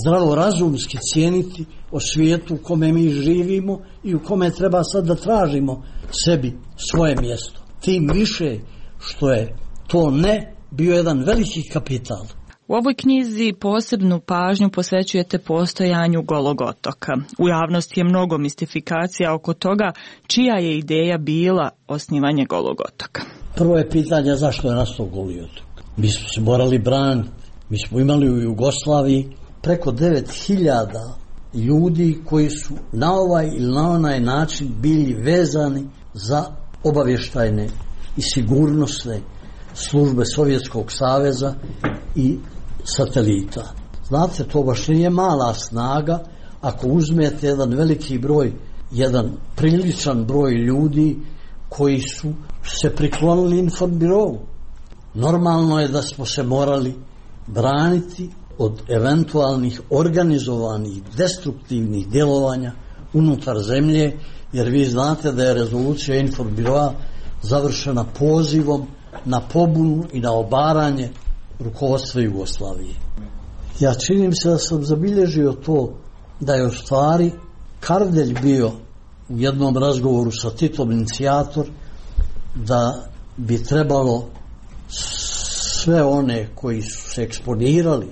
S12: zdravorazumski cijeniti o svijetu u kome mi živimo i u kome treba sad da tražimo sebi svoje mjesto. Tim više što je to ne bio jedan veliki kapital.
S11: U ovoj knjizi posebnu pažnju posvećujete postojanju Golog otoka. U javnosti je mnogo mistifikacija oko toga čija je ideja bila osnivanje Golog otoka.
S12: Prvo je pitanje zašto je nastao Goli otok. Mi smo se morali braniti. Mi smo imali u Jugoslaviji preko 9000 ljudi koji su na ovaj ili na onaj način bili vezani za obavještajne i sigurnosne službe Sovjetskog saveza i satelita. Znate, to baš nije mala snaga ako uzmete jedan veliki broj, jedan priličan broj ljudi koji su se priklonili Informbirovu. Normalno je da smo se morali braniti od eventualnih organizovanih destruktivnih djelovanja unutar zemlje, jer vi znate da je rezolucija Informbirova završena pozivom na pobunu i na obaranje rukovodstva Jugoslavije. Ja činim se da sam zabilježio to da je u stvari Kardelj bio u jednom razgovoru sa Titom inicijator da bi trebalo sve one koji su se eksponirali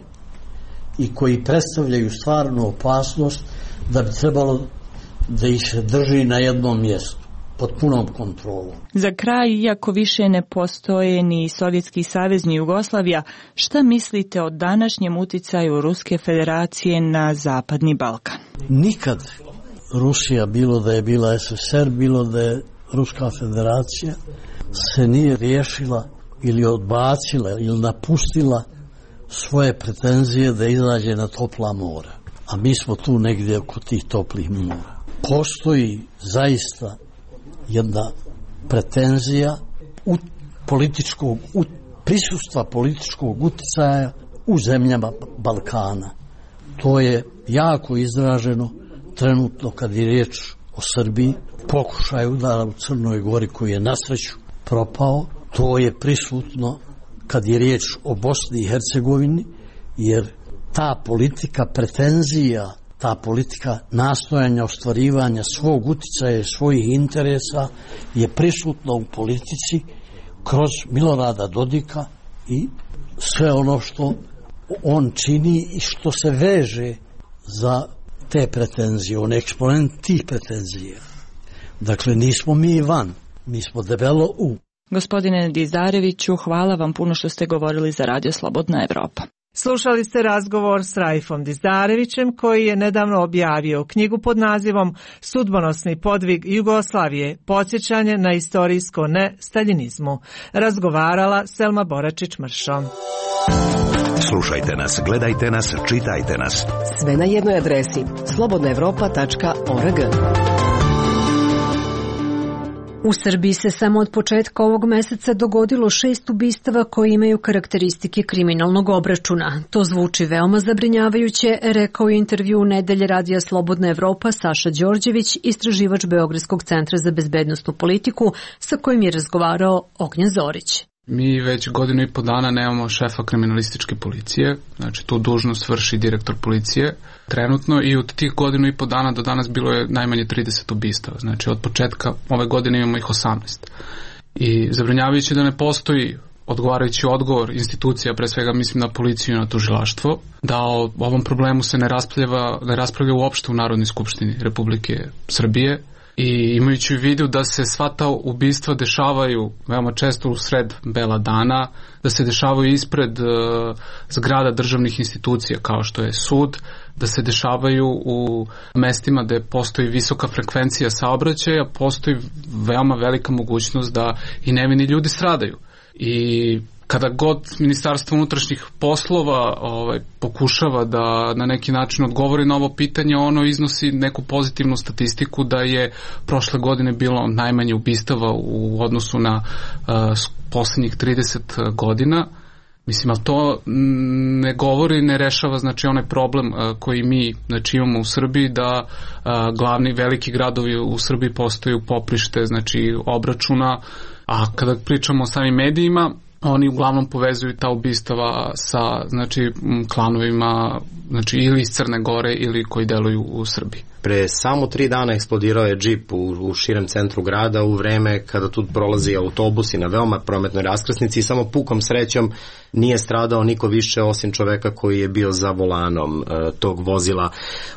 S12: i koji predstavljaju stvarnu opasnost, da bi trebalo da ih se drži na jednom mjestu pod punom kontrolom.
S11: Za kraj, iako više ne postoje ni Sovjetski savez ni Jugoslavija, šta mislite o današnjem uticaju Ruske federacije na Zapadni Balkan?
S12: Nikad Rusija, bilo da je bila SSR, bilo da je Ruska federacija, se nije riješila ili odbacila ili napustila svoje pretenzije da izađe na topla mora. A mi smo tu negdje oko tih toplih mora. Postoji zaista jedna pretenzija prisustva političkog uticaja u zemljama Balkana. To je jako izraženo trenutno kad je riječ o Srbiji, pokušaj udara u Crnoj Gori koji je na sreću propao. To je prisutno kad je riječ o Bosni i Hercegovini, jer ta politika pretenzija ta politika nastojanja ostvarivanja svog uticaja i svojih interesa je prisutna u politici kroz Milorada Dodika i sve ono što on čini i što se veže za te pretenzije, on je eksponent tih pretenzija. Dakle, nismo mi van, mi smo debelo u.
S11: Gospodine Dizareviću, hvala vam puno što ste govorili za Radio Slobodna Evropa.
S9: Slušali ste razgovor s Raifom Dizdarevićem koji je nedavno objavio knjigu pod nazivom Sudbonosni podvig Jugoslavije, podsjećanje na istorijsko ne-staljinizmu. Razgovarala Selma Boračić-Mršo.
S7: Slušajte nas, gledajte nas, čitajte nas.
S27: Sve na jednoj adresi slobodnaevropa.org.
S10: U Srbiji se samo od početka ovog meseca dogodilo 6 ubistava koji imaju karakteristike kriminalnog obračuna. To zvuči veoma zabrinjavajuće, rekao je intervju u nedelje Radija Slobodna Evropa Saša Đorđević, istraživač Beogradskog centra za bezbednosnu politiku, sa kojim je razgovarao Ognjen Zorić.
S13: Mi već 1.5 godina nemamo šefa kriminalističke policije, znači tu dužnost vrši direktor policije trenutno i od tih 1.5 dana do danas bilo je najmanje 30 ubistava, znači od početka ove godine imamo ih 18. I zabrinjavajuće da ne postoji odgovarajući odgovor institucija, pre svega mislim na policiju i na tužilaštvo, da o ovom problemu se ne raspravlja uopšte u Narodnoj skupštini Republike Srbije. I imajući u vidu da se sva ta ubistva dešavaju veoma često u sred bela dana, da se dešavaju ispred zgrada državnih institucija kao što je sud, da se dešavaju u mestima gde postoji visoka frekvencija saobraćaja, postoji veoma velika mogućnost da i nevini ljudi stradaju. I kada god Ministarstvo unutrašnjih poslova pokušava da na neki način odgovori na ovo pitanje, ono iznosi neku pozitivnu statistiku da je prošle godine bilo najmanje ubistava u odnosu na poslednjih 30 godina. Mislim, ali to ne govori, ne rešava znači onaj problem koji mi znači imamo u Srbiji, da glavni veliki gradovi u Srbiji postaju poprište znači obračuna, a kada pričamo o samim medijima, oni uglavnom povezuju ta ubistava sa znači klanovima znači ili iz Crne Gore ili koji deluju u Srbiji.
S14: Pre samo 3 dana eksplodirao je džip u širem centru grada u vreme kada tu prolazi autobusi na veoma prometnoj raskrsnici i samo pukom srećom nije stradao niko više osim čoveka koji je bio za volanom tog vozila.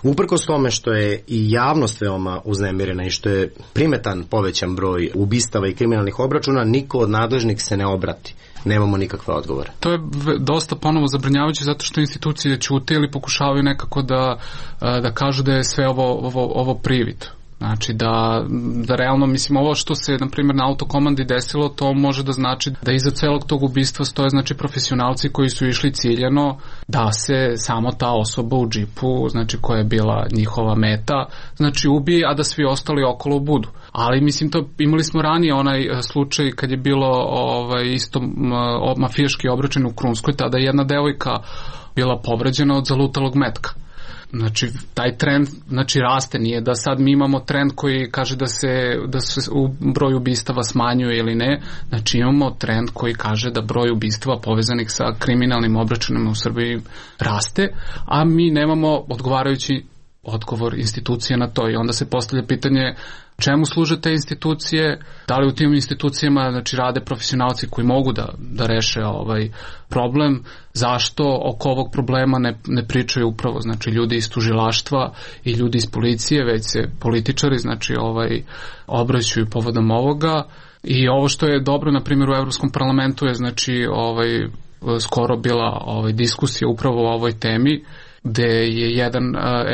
S14: Uprkos tome što je i javnost veoma uznemirena i što je primetan povećan broj ubistava i kriminalnih obračuna, niko od nadležnih se ne obrati. Nemamo nikakve odgovore.
S13: To je dosta ponovo zabrinjavajuće zato što institucije ćute ili pokušavaju nekako da kažu da je sve ovo privid. Znači da realno, mislim, ovo što se na primjer na autokomandi desilo, to može da znači da iza celog tog ubistva stoje znači profesionalci koji su išli ciljano da se samo ta osoba u džipu, znači koja je bila njihova meta, znači ubije, a da svi ostali okolo budu. Ali mislim, to imali smo ranije onaj slučaj kad je bilo isto mafijaški obračun u Krunskoj, tada je jedna devojka bila povređena od zalutalog metka. Znači, taj trend znači raste, nije da sad mi imamo trend koji kaže da se u broj ubistava smanjuje ili ne, znači imamo trend koji kaže da broj ubistava povezanih sa kriminalnim obračunima u Srbiji raste, a mi nemamo odgovarajući odgovor institucije na to i onda se postavlja pitanje čemu služe te institucije, da li u tim institucijama znači rade profesionalci koji mogu da reše ovaj problem, zašto oko ovog problema ne pričaju upravo znači ljudi iz tužilaštva i ljudi iz policije, već se političari znači obraćaju povodom ovoga. I ovo što je dobro na primjer u Evropskom parlamentu je znači skoro bila diskusija upravo o ovoj temi, gde je jedan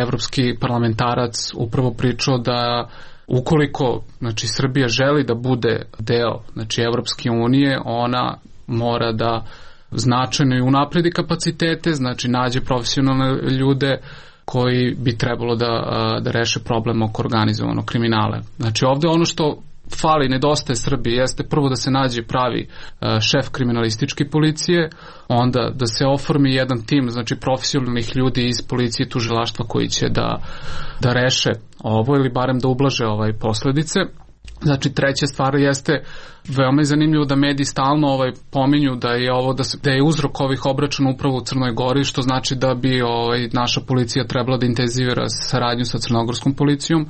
S13: evropski parlamentarac upravo pričao da ukoliko znači Srbija želi da bude deo znači Evropske unije, ona mora da značajno i unapredi kapacitete, znači nađe profesionalne ljude koji bi trebalo da reše problem oko organizovanog kriminala. Znači ovde ono što fali, nedostaje Srbiji, jeste prvo da se nađe pravi šef kriminalističke policije, onda da se oformi jedan tim, znači profesionalnih ljudi iz policije i tužilaštva koji će da reše ovo ili barem da ublaže posledice. Znači, treća stvar jeste, veoma je zanimljivo da mediji stalno pominju da je ovo da je uzrok ovih obračuna upravo u Crnoj Gori, što znači da bi naša policija trebala da intenzivira saradnju sa crnogorskom policijom,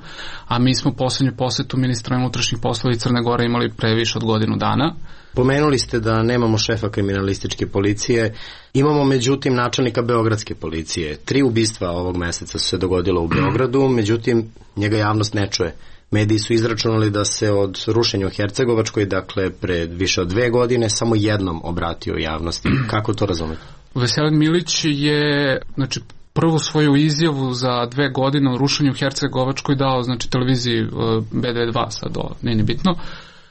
S13: a mi smo poslednju posetu ministra unutrašnjih poslova Crne Gore imali pre više od godinu dana.
S14: Pomenuli ste da nemamo šefa kriminalističke policije, imamo međutim načelnika beogradske policije. 3 ubistva ovog meseca su se dogodilo u Beogradu, međutim njega javnost ne čuje. Mediji su izračunali da se od rušenja u Hercegovačkoj, dakle pred više od 2 godine, samo jednom obratio javnosti. Kako to razumete?
S13: Veselin Milić je, znači, prvu svoju izjavu za 2 godine o rušenju u Hercegovačkoj dao, znači, televiziji B92, sad nije ni bitno,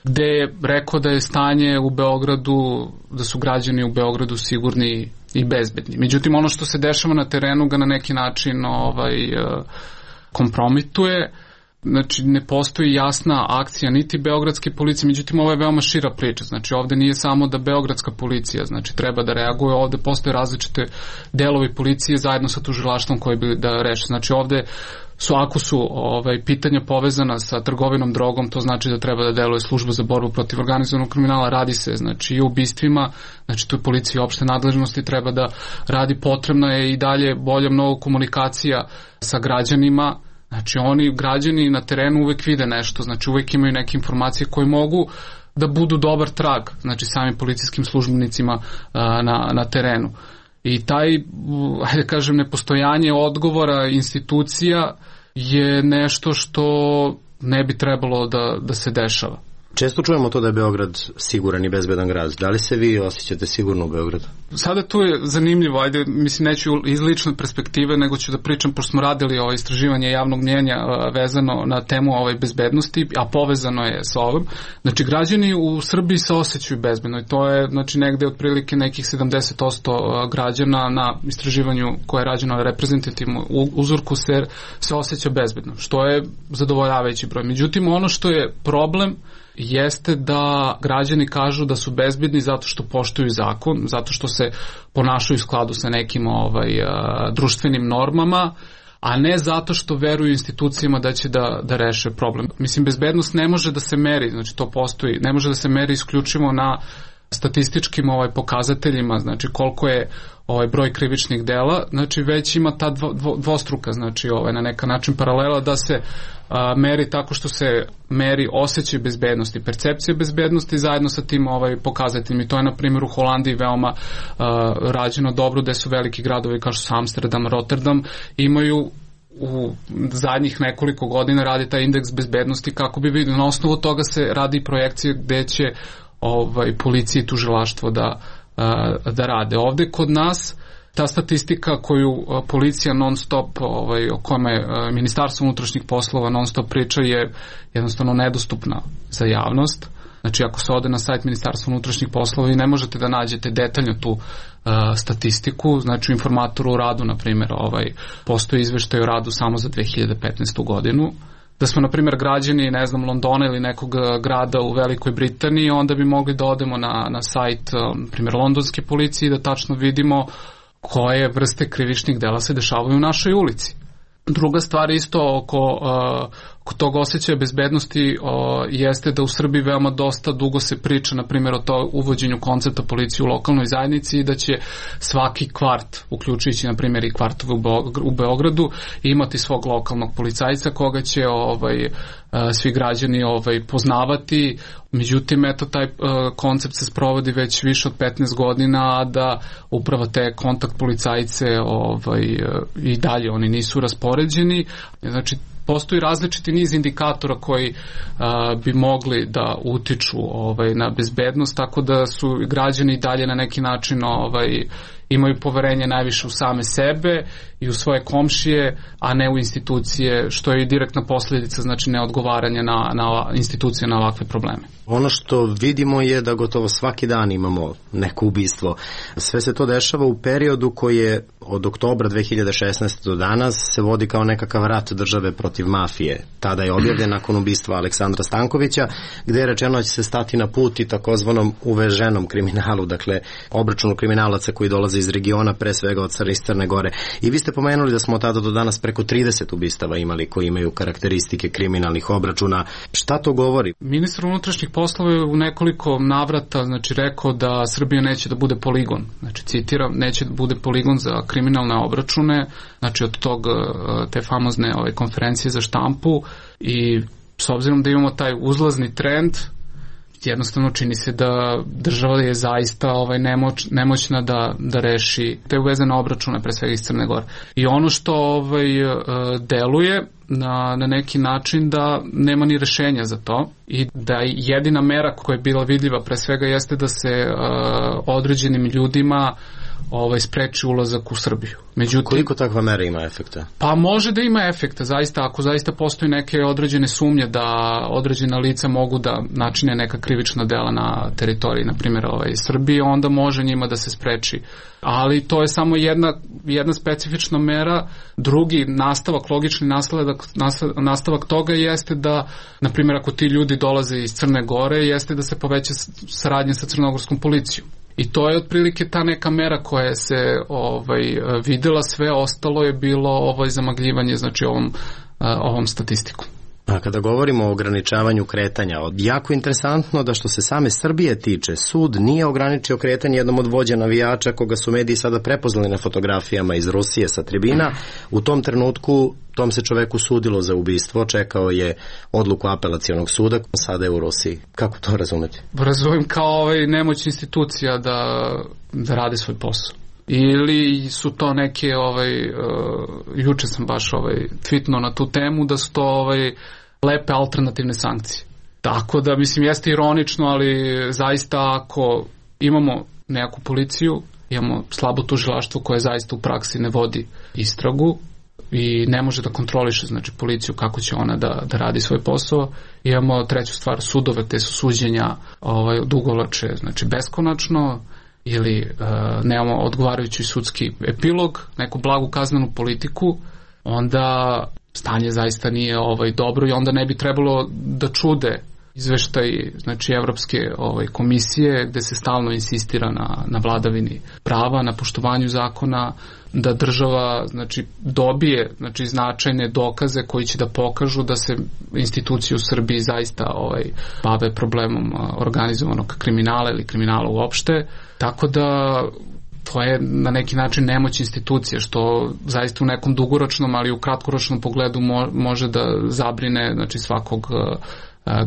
S13: gde je rekao da je stanje u Beogradu, da su građani u Beogradu sigurni i bezbedni. Međutim, ono što se dešava na terenu ga na neki način kompromituje. Znači, ne postoji jasna akcija niti beogradske policije, međutim ovo je veoma šira priča. Znači, ovde nije samo da beogradska policija, znači, treba da reaguje, ovde postoje različite delovi policije zajedno sa tužilaštvom koji bi da reše. Znači, ovde ako su pitanja povezana sa trgovinom drogom, to znači da treba da deluje služba za borbu protiv organizovanog kriminala, radi se, znači, i o ubistvima, znači, tu je policija opšte nadležnosti, treba da radi, potrebna je i dalje bolja mnogo komunikacija sa građanima. Znači, građani na terenu uvek vide nešto, znači uvek imaju neke informacije koje mogu da budu dobar trag, znači samim policijskim službenicima na terenu. I taj, hajde kažem, nepostojanje odgovora institucija je nešto što ne bi trebalo da se dešava.
S14: Često čujemo to da je Beograd siguran i bezbedan grad. Da li se vi osjećate sigurno u Beogradu?
S13: Sada tu je zanimljivo, mislim, neću iz lične perspektive, nego ću da pričam, pošto smo radili istraživanje javnog mnjenja vezano na temu bezbednosti, a povezano je sa ovim. Znači, građani u Srbiji se osjećaju bezbedno i to je, znači, negde otprilike nekih 70% građana na istraživanju koje je rađeno na reprezentativnom uzorku se osjeća bezbedno, što je zadovoljavajući broj. Međutim, ono što je problem jeste da građani kažu da su bezbedni zato što poštuju zakon, zato što se ponašaju u skladu sa nekim društvenim normama, a ne zato što veruju institucijama da će da reše problem. Mislim, bezbednost ne može da se meri, znači to postoji, ne može da se meri isključivo na statističkim pokazateljima, znači koliko je broj krivičnih dela, znači već ima ta dvostruka, znači na neka način paralela da se meri tako što se meri osjećaj bezbednosti, percepcija bezbednosti zajedno sa tim pokazateljima. I to je, na primjer, u Holandiji veoma rađeno dobro, gde su veliki gradovi kao što su Amsterdam, Rotterdam, imaju u zadnjih nekoliko godina radi taj indeks bezbednosti kako bi vidio. Na osnovu toga se radi projekcije gde će policija i tužilaštvo da rade. Ovde kod nas ta statistika koju policija non stop, o kojima je Ministarstvo unutrašnjih poslova non stop priča, je jednostavno nedostupna za javnost. Znači, ako se ode na sajt Ministarstva unutrašnjih poslova i ne možete da nađete detaljno tu statistiku, znači u informatoru o radu, na primjer, postoji izveštaj o radu samo za 2015. godinu. Da smo, na primjer, građani, ne znam, Londona ili nekog grada u Velikoj Britaniji, onda bi mogli da odemo na sajt, na primjer, londonske policije i da tačno vidimo koje vrste krivičnih dela se dešavaju u našoj ulici. Druga stvar isto oko tog osjećaja bezbednosti jeste da u Srbiji veoma dosta dugo se priča, na primjer, o to uvođenju koncepta policije u lokalnoj zajednici i da će svaki kvart, uključujući, na primjer, i kvartove u Beogradu, imati svog lokalnog policajca koga će svi građani poznavati. Međutim, eto, taj koncept se sprovodi već više od 15 godina, a da upravo te kontakt policajce i dalje oni nisu raspoređeni. Znači, postoji različiti niz indikatora koji bi mogli da utiču na bezbednost, tako da su građani i dalje na neki način imaju poverenje najviše u same sebe i u svoje komšije, a ne u institucije, što je i direktna posljedica, znači neodgovaranja na institucije na ovakve probleme.
S14: Ono što vidimo je da gotovo svaki dan imamo neko ubistvo. Sve se to dešava u periodu koji je od oktobra 2016. do danas se vodi kao nekakav rat države protiv mafije. Tada je objavljen nakon ubistva Aleksandra Stankovića, gde je rečeno da će se stati na put i takozvanom uveženom kriminalu, dakle obračunu kriminalaca koji dolaze dolaze iz regiona, pre svega od Crne Gore. I vi ste pomenuli da smo od tada do danas preko 30 ubistava imali koji imaju karakteristike kriminalnih obračuna. Šta to govori?
S13: Ministar unutrašnjih poslova je u nekoliko navrata rekao da Srbija neće da bude poligon. Citiram, neće da bude poligon za kriminalne obračune, od te famozne konferencije za štampu, i s obzirom da imamo taj uzlazni trend, jednostavno čini se da država je zaista nemoćna da reši te uvezene obračune, pre svega iz Crne Gore. I ono što deluje na neki način da nema ni rešenja za to i da jedina mera koja je bila vidljiva pre svega jeste da se određenim ljudima spreči ulazak u Srbiju.
S14: Međutim, koliko takva mera ima efekta?
S13: Pa može da ima efekta, zaista, ako zaista postoji neke određene sumnje da određena lica mogu da načine neka krivična dela na teritoriji, na primjer Srbije, onda može njima da se spreči. Ali to je samo jedna specifična mera. Drugi nastavak, logični nastavak toga jeste da, na primjer, ako ti ljudi dolaze iz Crne Gore, jeste da se poveća saradnja sa crnogorskom policijom. I to je otprilike ta neka mera koja se videla, sve ostalo je bilo zamagljivanje ovom statistikom.
S14: A kada govorimo o ograničavanju kretanja, jako interesantno da što se same Srbije tiče, sud nije ograničio kretanje jednom od vođa navijača koga su mediji sada prepoznali na fotografijama iz Rusije sa tribina. U tom trenutku tom se čoveku sudilo za ubistvo, čekao je odluku apelacionog suda, sada je u Rusiji. Kako to razumeti?
S13: Razumem kao nemoć institucija da rade svoj posao. Ili su to neke, juče sam baš tweetno na tu temu, da su to lepe alternativne sankcije. Tako da, mislim, jeste ironično, ali zaista ako imamo neku policiju, imamo slabo tužilaštvo koje zaista u praksi ne vodi istragu i ne može da kontroliše, policiju kako će ona da radi svoj posao. Imamo treću stvar, sudove, te su suđenja odugovlače, beskonačno, ili nemamo odgovarajući sudski epilog, neku blagu kaznenu politiku, onda stanje zaista nije dobro i onda ne bi trebalo da čude izveštaj Evropske komisije gde se stalno insistira na vladavini prava, na poštovanju zakona, da država dobije značajne dokaze koji će da pokažu da se institucije u Srbiji zaista bave problemom organizovanog kriminala ili kriminala uopšte. Tako da to je na neki način nemoć institucije, što zaista u nekom dugoročnom, ali i u kratkoročnom pogledu može da zabrine svakog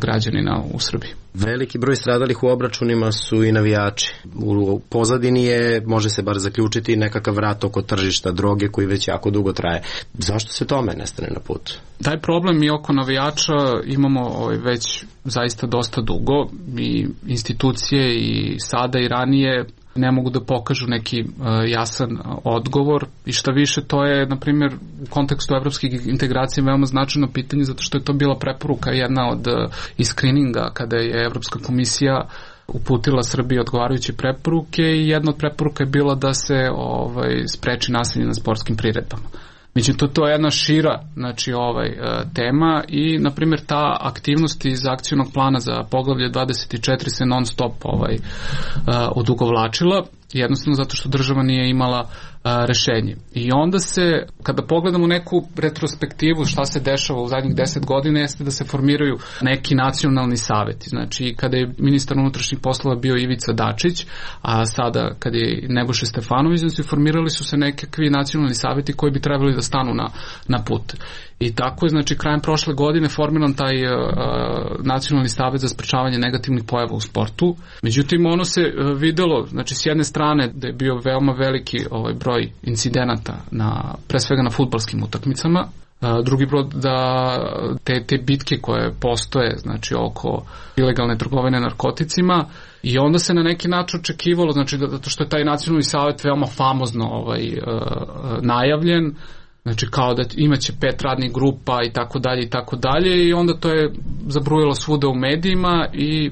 S13: građanina u Srbiji.
S14: Veliki broj stradalih u obračunima su i navijači. U pozadini je, može se bar zaključiti, nekakav rat oko tržišta droge koji već jako dugo traje. Zašto se tome ne stane na put?
S13: Taj problem i oko navijača imamo već zaista dosta dugo i institucije i sada i ranije ne mogu da pokažu neki jasan odgovor i šta više, to je, na primjer, u kontekstu evropskih integracija veoma značajno pitanje, zato što je to bila preporuka jedna od screeninga kada je Evropska komisija uputila Srbiji odgovarajuće preporuke i jedna od preporuka je bila da se spreči nasilje na sportskim priredbama. Međutim, to je jedna šira tema i, na primjer, ta aktivnost iz akcionog plana za poglavlje 24 se non stop odugovlačila, jednostavno zato što država nije imala rešenje. I onda se, kada pogledamo neku retrospektivu šta se dešava u zadnjih 10 godina, jeste da se formiraju neki nacionalni saveti. Znači, kada je ministar unutrašnjih poslova bio Ivica Dačić, a sada kada je Nebojša Stefanović, znači formirali su se nekakvi nacionalni saveti koji bi trebali da stanu na put. I tako je, znači, krajem prošle godine formiran taj nacionalni savet za sprečavanje negativnih pojava u sportu. Međutim, ono se videlo, znači, s jedne strane da je bio veoma veliki broj incidenata, pre svega na fudbalskim utakmicama, drugi broj da te bitke koje postoje, znači, oko ilegalne trgovine narkoticima, i onda se na neki način očekivalo, znači, zato što je taj nacionalni savet veoma famozno najavljen, znači kao da imaće 5 radnih grupa i tako dalje i onda to je zabrujalo svuda u medijima i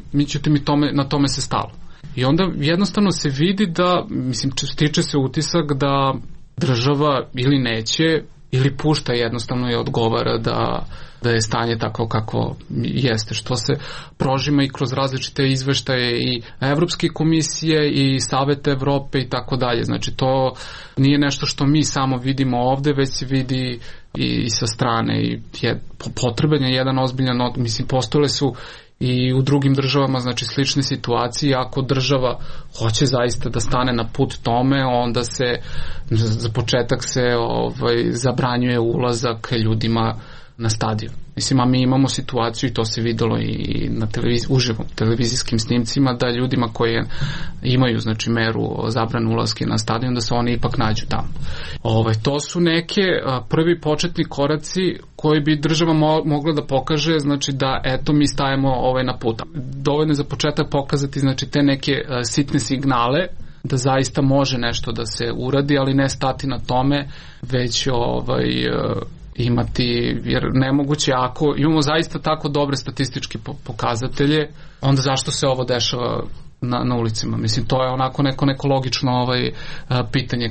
S13: na tome se stalo. I onda jednostavno se vidi da, mislim, stiče se utisak da država ili neće ili pušta jednostavno i odgovara da je stanje tako kako jeste, što se prožima i kroz različite izveštaje i Evropske komisije i Saveta Evrope i tako dalje. Znači to nije nešto što mi samo vidimo ovde, već se vidi i sa strane i potreban je jedan ozbiljan, mislim postojale su i u drugim državama, znači slične situacije. Ako država hoće zaista da stane na put tome, onda se za početak se zabranjuje ulazak ljudima na stadion. Mislim, a mi imamo situaciju i to se videlo i na uživo televizijskim snimcima, da ljudima koji imaju znači meru zabrane ulaske na stadion, da se oni ipak nađu tamo. To su neke prvi početni koraci koji bi država mogla da pokaže, znači da eto mi stajemo na put. Dovoljno je za početak pokazati znači te neke sitne signale da zaista može nešto da se uradi, ali ne stati na tome, već imati, jer nemoguće ako imamo zaista tako dobre statističke pokazatelje, onda zašto se ovo dešava na ulicama? Mislim, to je onako neko logično pitanje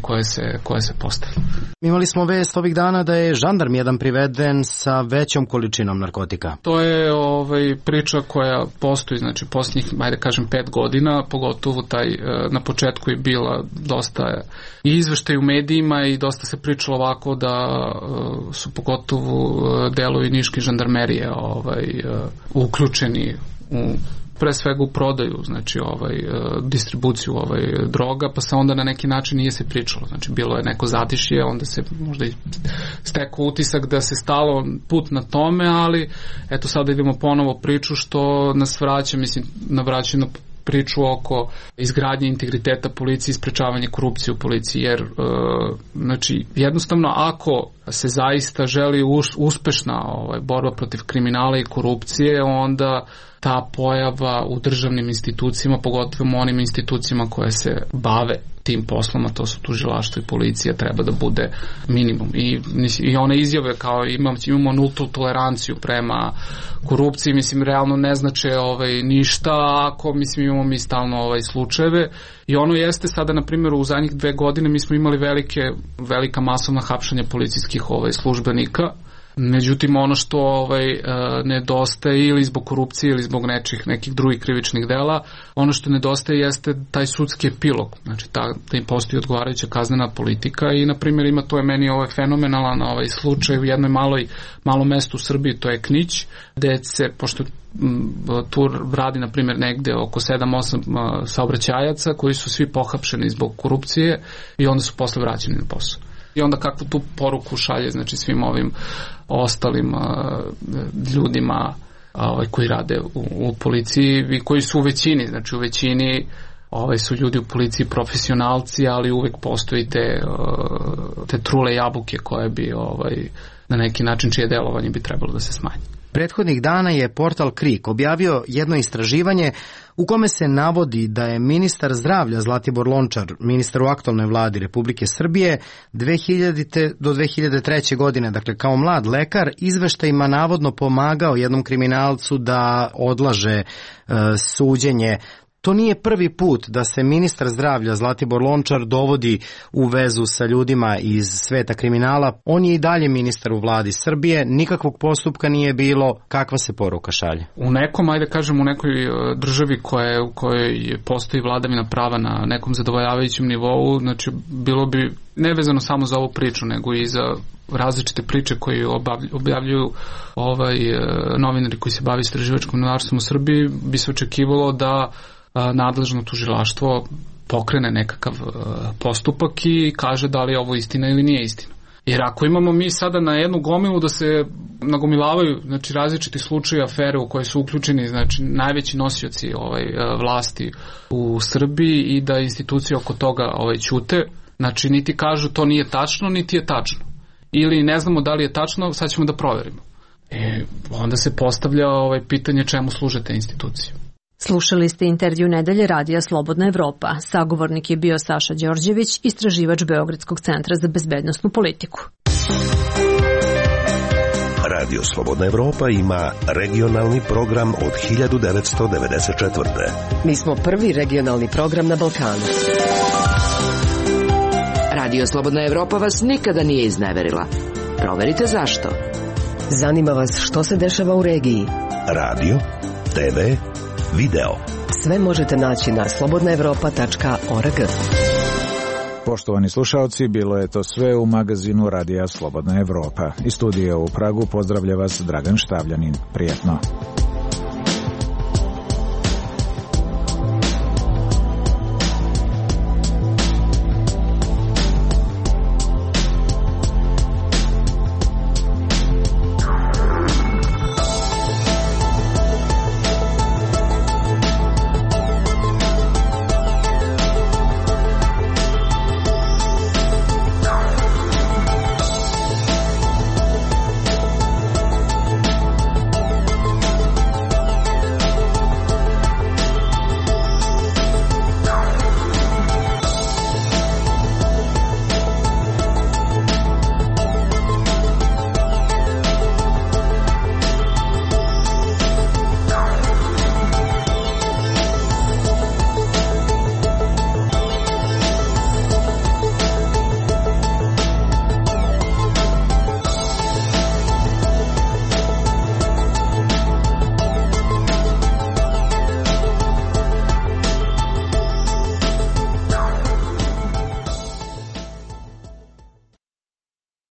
S13: koje se postavlja.
S8: Imali smo vest ovih dana da je žandarm jedan priveden sa većom količinom narkotika.
S13: To je priča koja postoji, znači posljednjih, ajde kažem, 5 godina, pogotovo na početku je bila dosta i izveštaj u medijima i dosta se pričalo ovako da su pogotovo delovi niške žandarmerije uključeni u pre svega u prodaju, znači distribuciju droga, pa se onda na neki način nije se pričalo. Znači bilo je neko zatišje, onda se možda i stekao utisak da se stalo put na tome, ali eto sada idemo ponovo priču što nas vraća, mislim, navraćaju na priču oko izgradnje integriteta policije i sprečavanje korupcije u policiji, jer znači jednostavno ako se zaista želi uspešna borba protiv kriminala i korupcije, onda ta pojava u državnim institucijama, pogotovo onim institucijama koje se bave tim poslom, a to su tužilaštvo i policija, treba da bude minimum. I one izjave kao imamo nultu toleranciju prema korupciji, mislim, realno ne znače ništa ako, mislim, imamo mi stalno slučajeve. I ono jeste sada, na primjer, u zadnjih 2 godine mi smo imali velika masovna hapšanja policijskih službenika. Međutim, ono što nedostaje ili zbog korupcije ili zbog nekih drugih krivičnih dela, ono što nedostaje jeste taj sudski epilog, znači da im postoji odgovarajuća kaznena politika i, na primjer, to je meni fenomenalan slučaj u jednoj malom mestu u Srbiji, to je Knić, gde se, pošto tu radi, na primjer, negde oko 7-8 saobraćajaca koji su svi pohapšeni zbog korupcije i onda su posle vraćeni na posao. I onda kakvu tu poruku šalje, znači, svim ovim ostalim ljudima koji rade u policiji i koji su u većini, znači u većini su ljudi u policiji profesionalci, ali uvek postoji te trule jabuke koje bi na neki način čije delovanje bi trebalo da se smanji.
S8: Prethodnih dana je portal KRIK objavio jedno istraživanje u kome se navodi da je ministar zdravlja Zlatibor Lončar, ministar u aktualnoj vladi Republike Srbije, 2000. do 2003. godine, dakle kao mlad lekar, izveštajima navodno pomagao jednom kriminalcu da odlaže suđenje. To nije prvi put da se ministar zdravlja Zlatibor Lončar dovodi u vezu sa ljudima iz sveta kriminala. On je i dalje ministar u vladi Srbije, nikakvog postupka nije bilo. Kakva se poruka šalje?
S13: U nekom, ajde kažem, u nekoj državi u kojoj postoji vladavina prava na nekom zadovoljavajućem nivou, znači bilo bi nevezano samo za ovu priču, nego i za različite priče koje objavljuju novinari koji se bave istraživačkim novinarstvom u Srbiji, bi se očekivalo da nadležno tužilaštvo pokrene nekakav postupak i kaže da li je ovo istina ili nije istina. Jer ako imamo mi sada na jednu gomilu da se nagomilavaju, znači, različiti slučaje, afere u koje su uključeni, znači, najveći nosioci vlasti u Srbiji i da institucije oko toga ćute, znači, niti kažu to nije tačno, niti je tačno. Ili ne znamo da li je tačno, sad ćemo da proverimo. Onda se postavlja pitanje čemu služe te institucije.
S10: Slušali ste intervju Nedelje Radija Slobodna Evropa. Sagovornik je bio Saša Đorđević, istraživač Beogradskog centra za bezbednosnu politiku.
S7: Radio Slobodna Evropa ima regionalni program od 1994.
S27: Mi smo prvi regionalni program na Balkanu.
S2: Radio Slobodna Evropa vas nikada nije izneverila. Proverite zašto.
S27: Zanima vas što se dešava u regiji.
S7: Radio, TV, video.
S27: Sve možete naći na slobodnaevropa.org.
S1: Poštovani slušalci, bilo je to sve u magazinu Radija Slobodna Evropa. Iz studija u Pragu pozdravlja vas Dragan Štavljanin. Prijetno.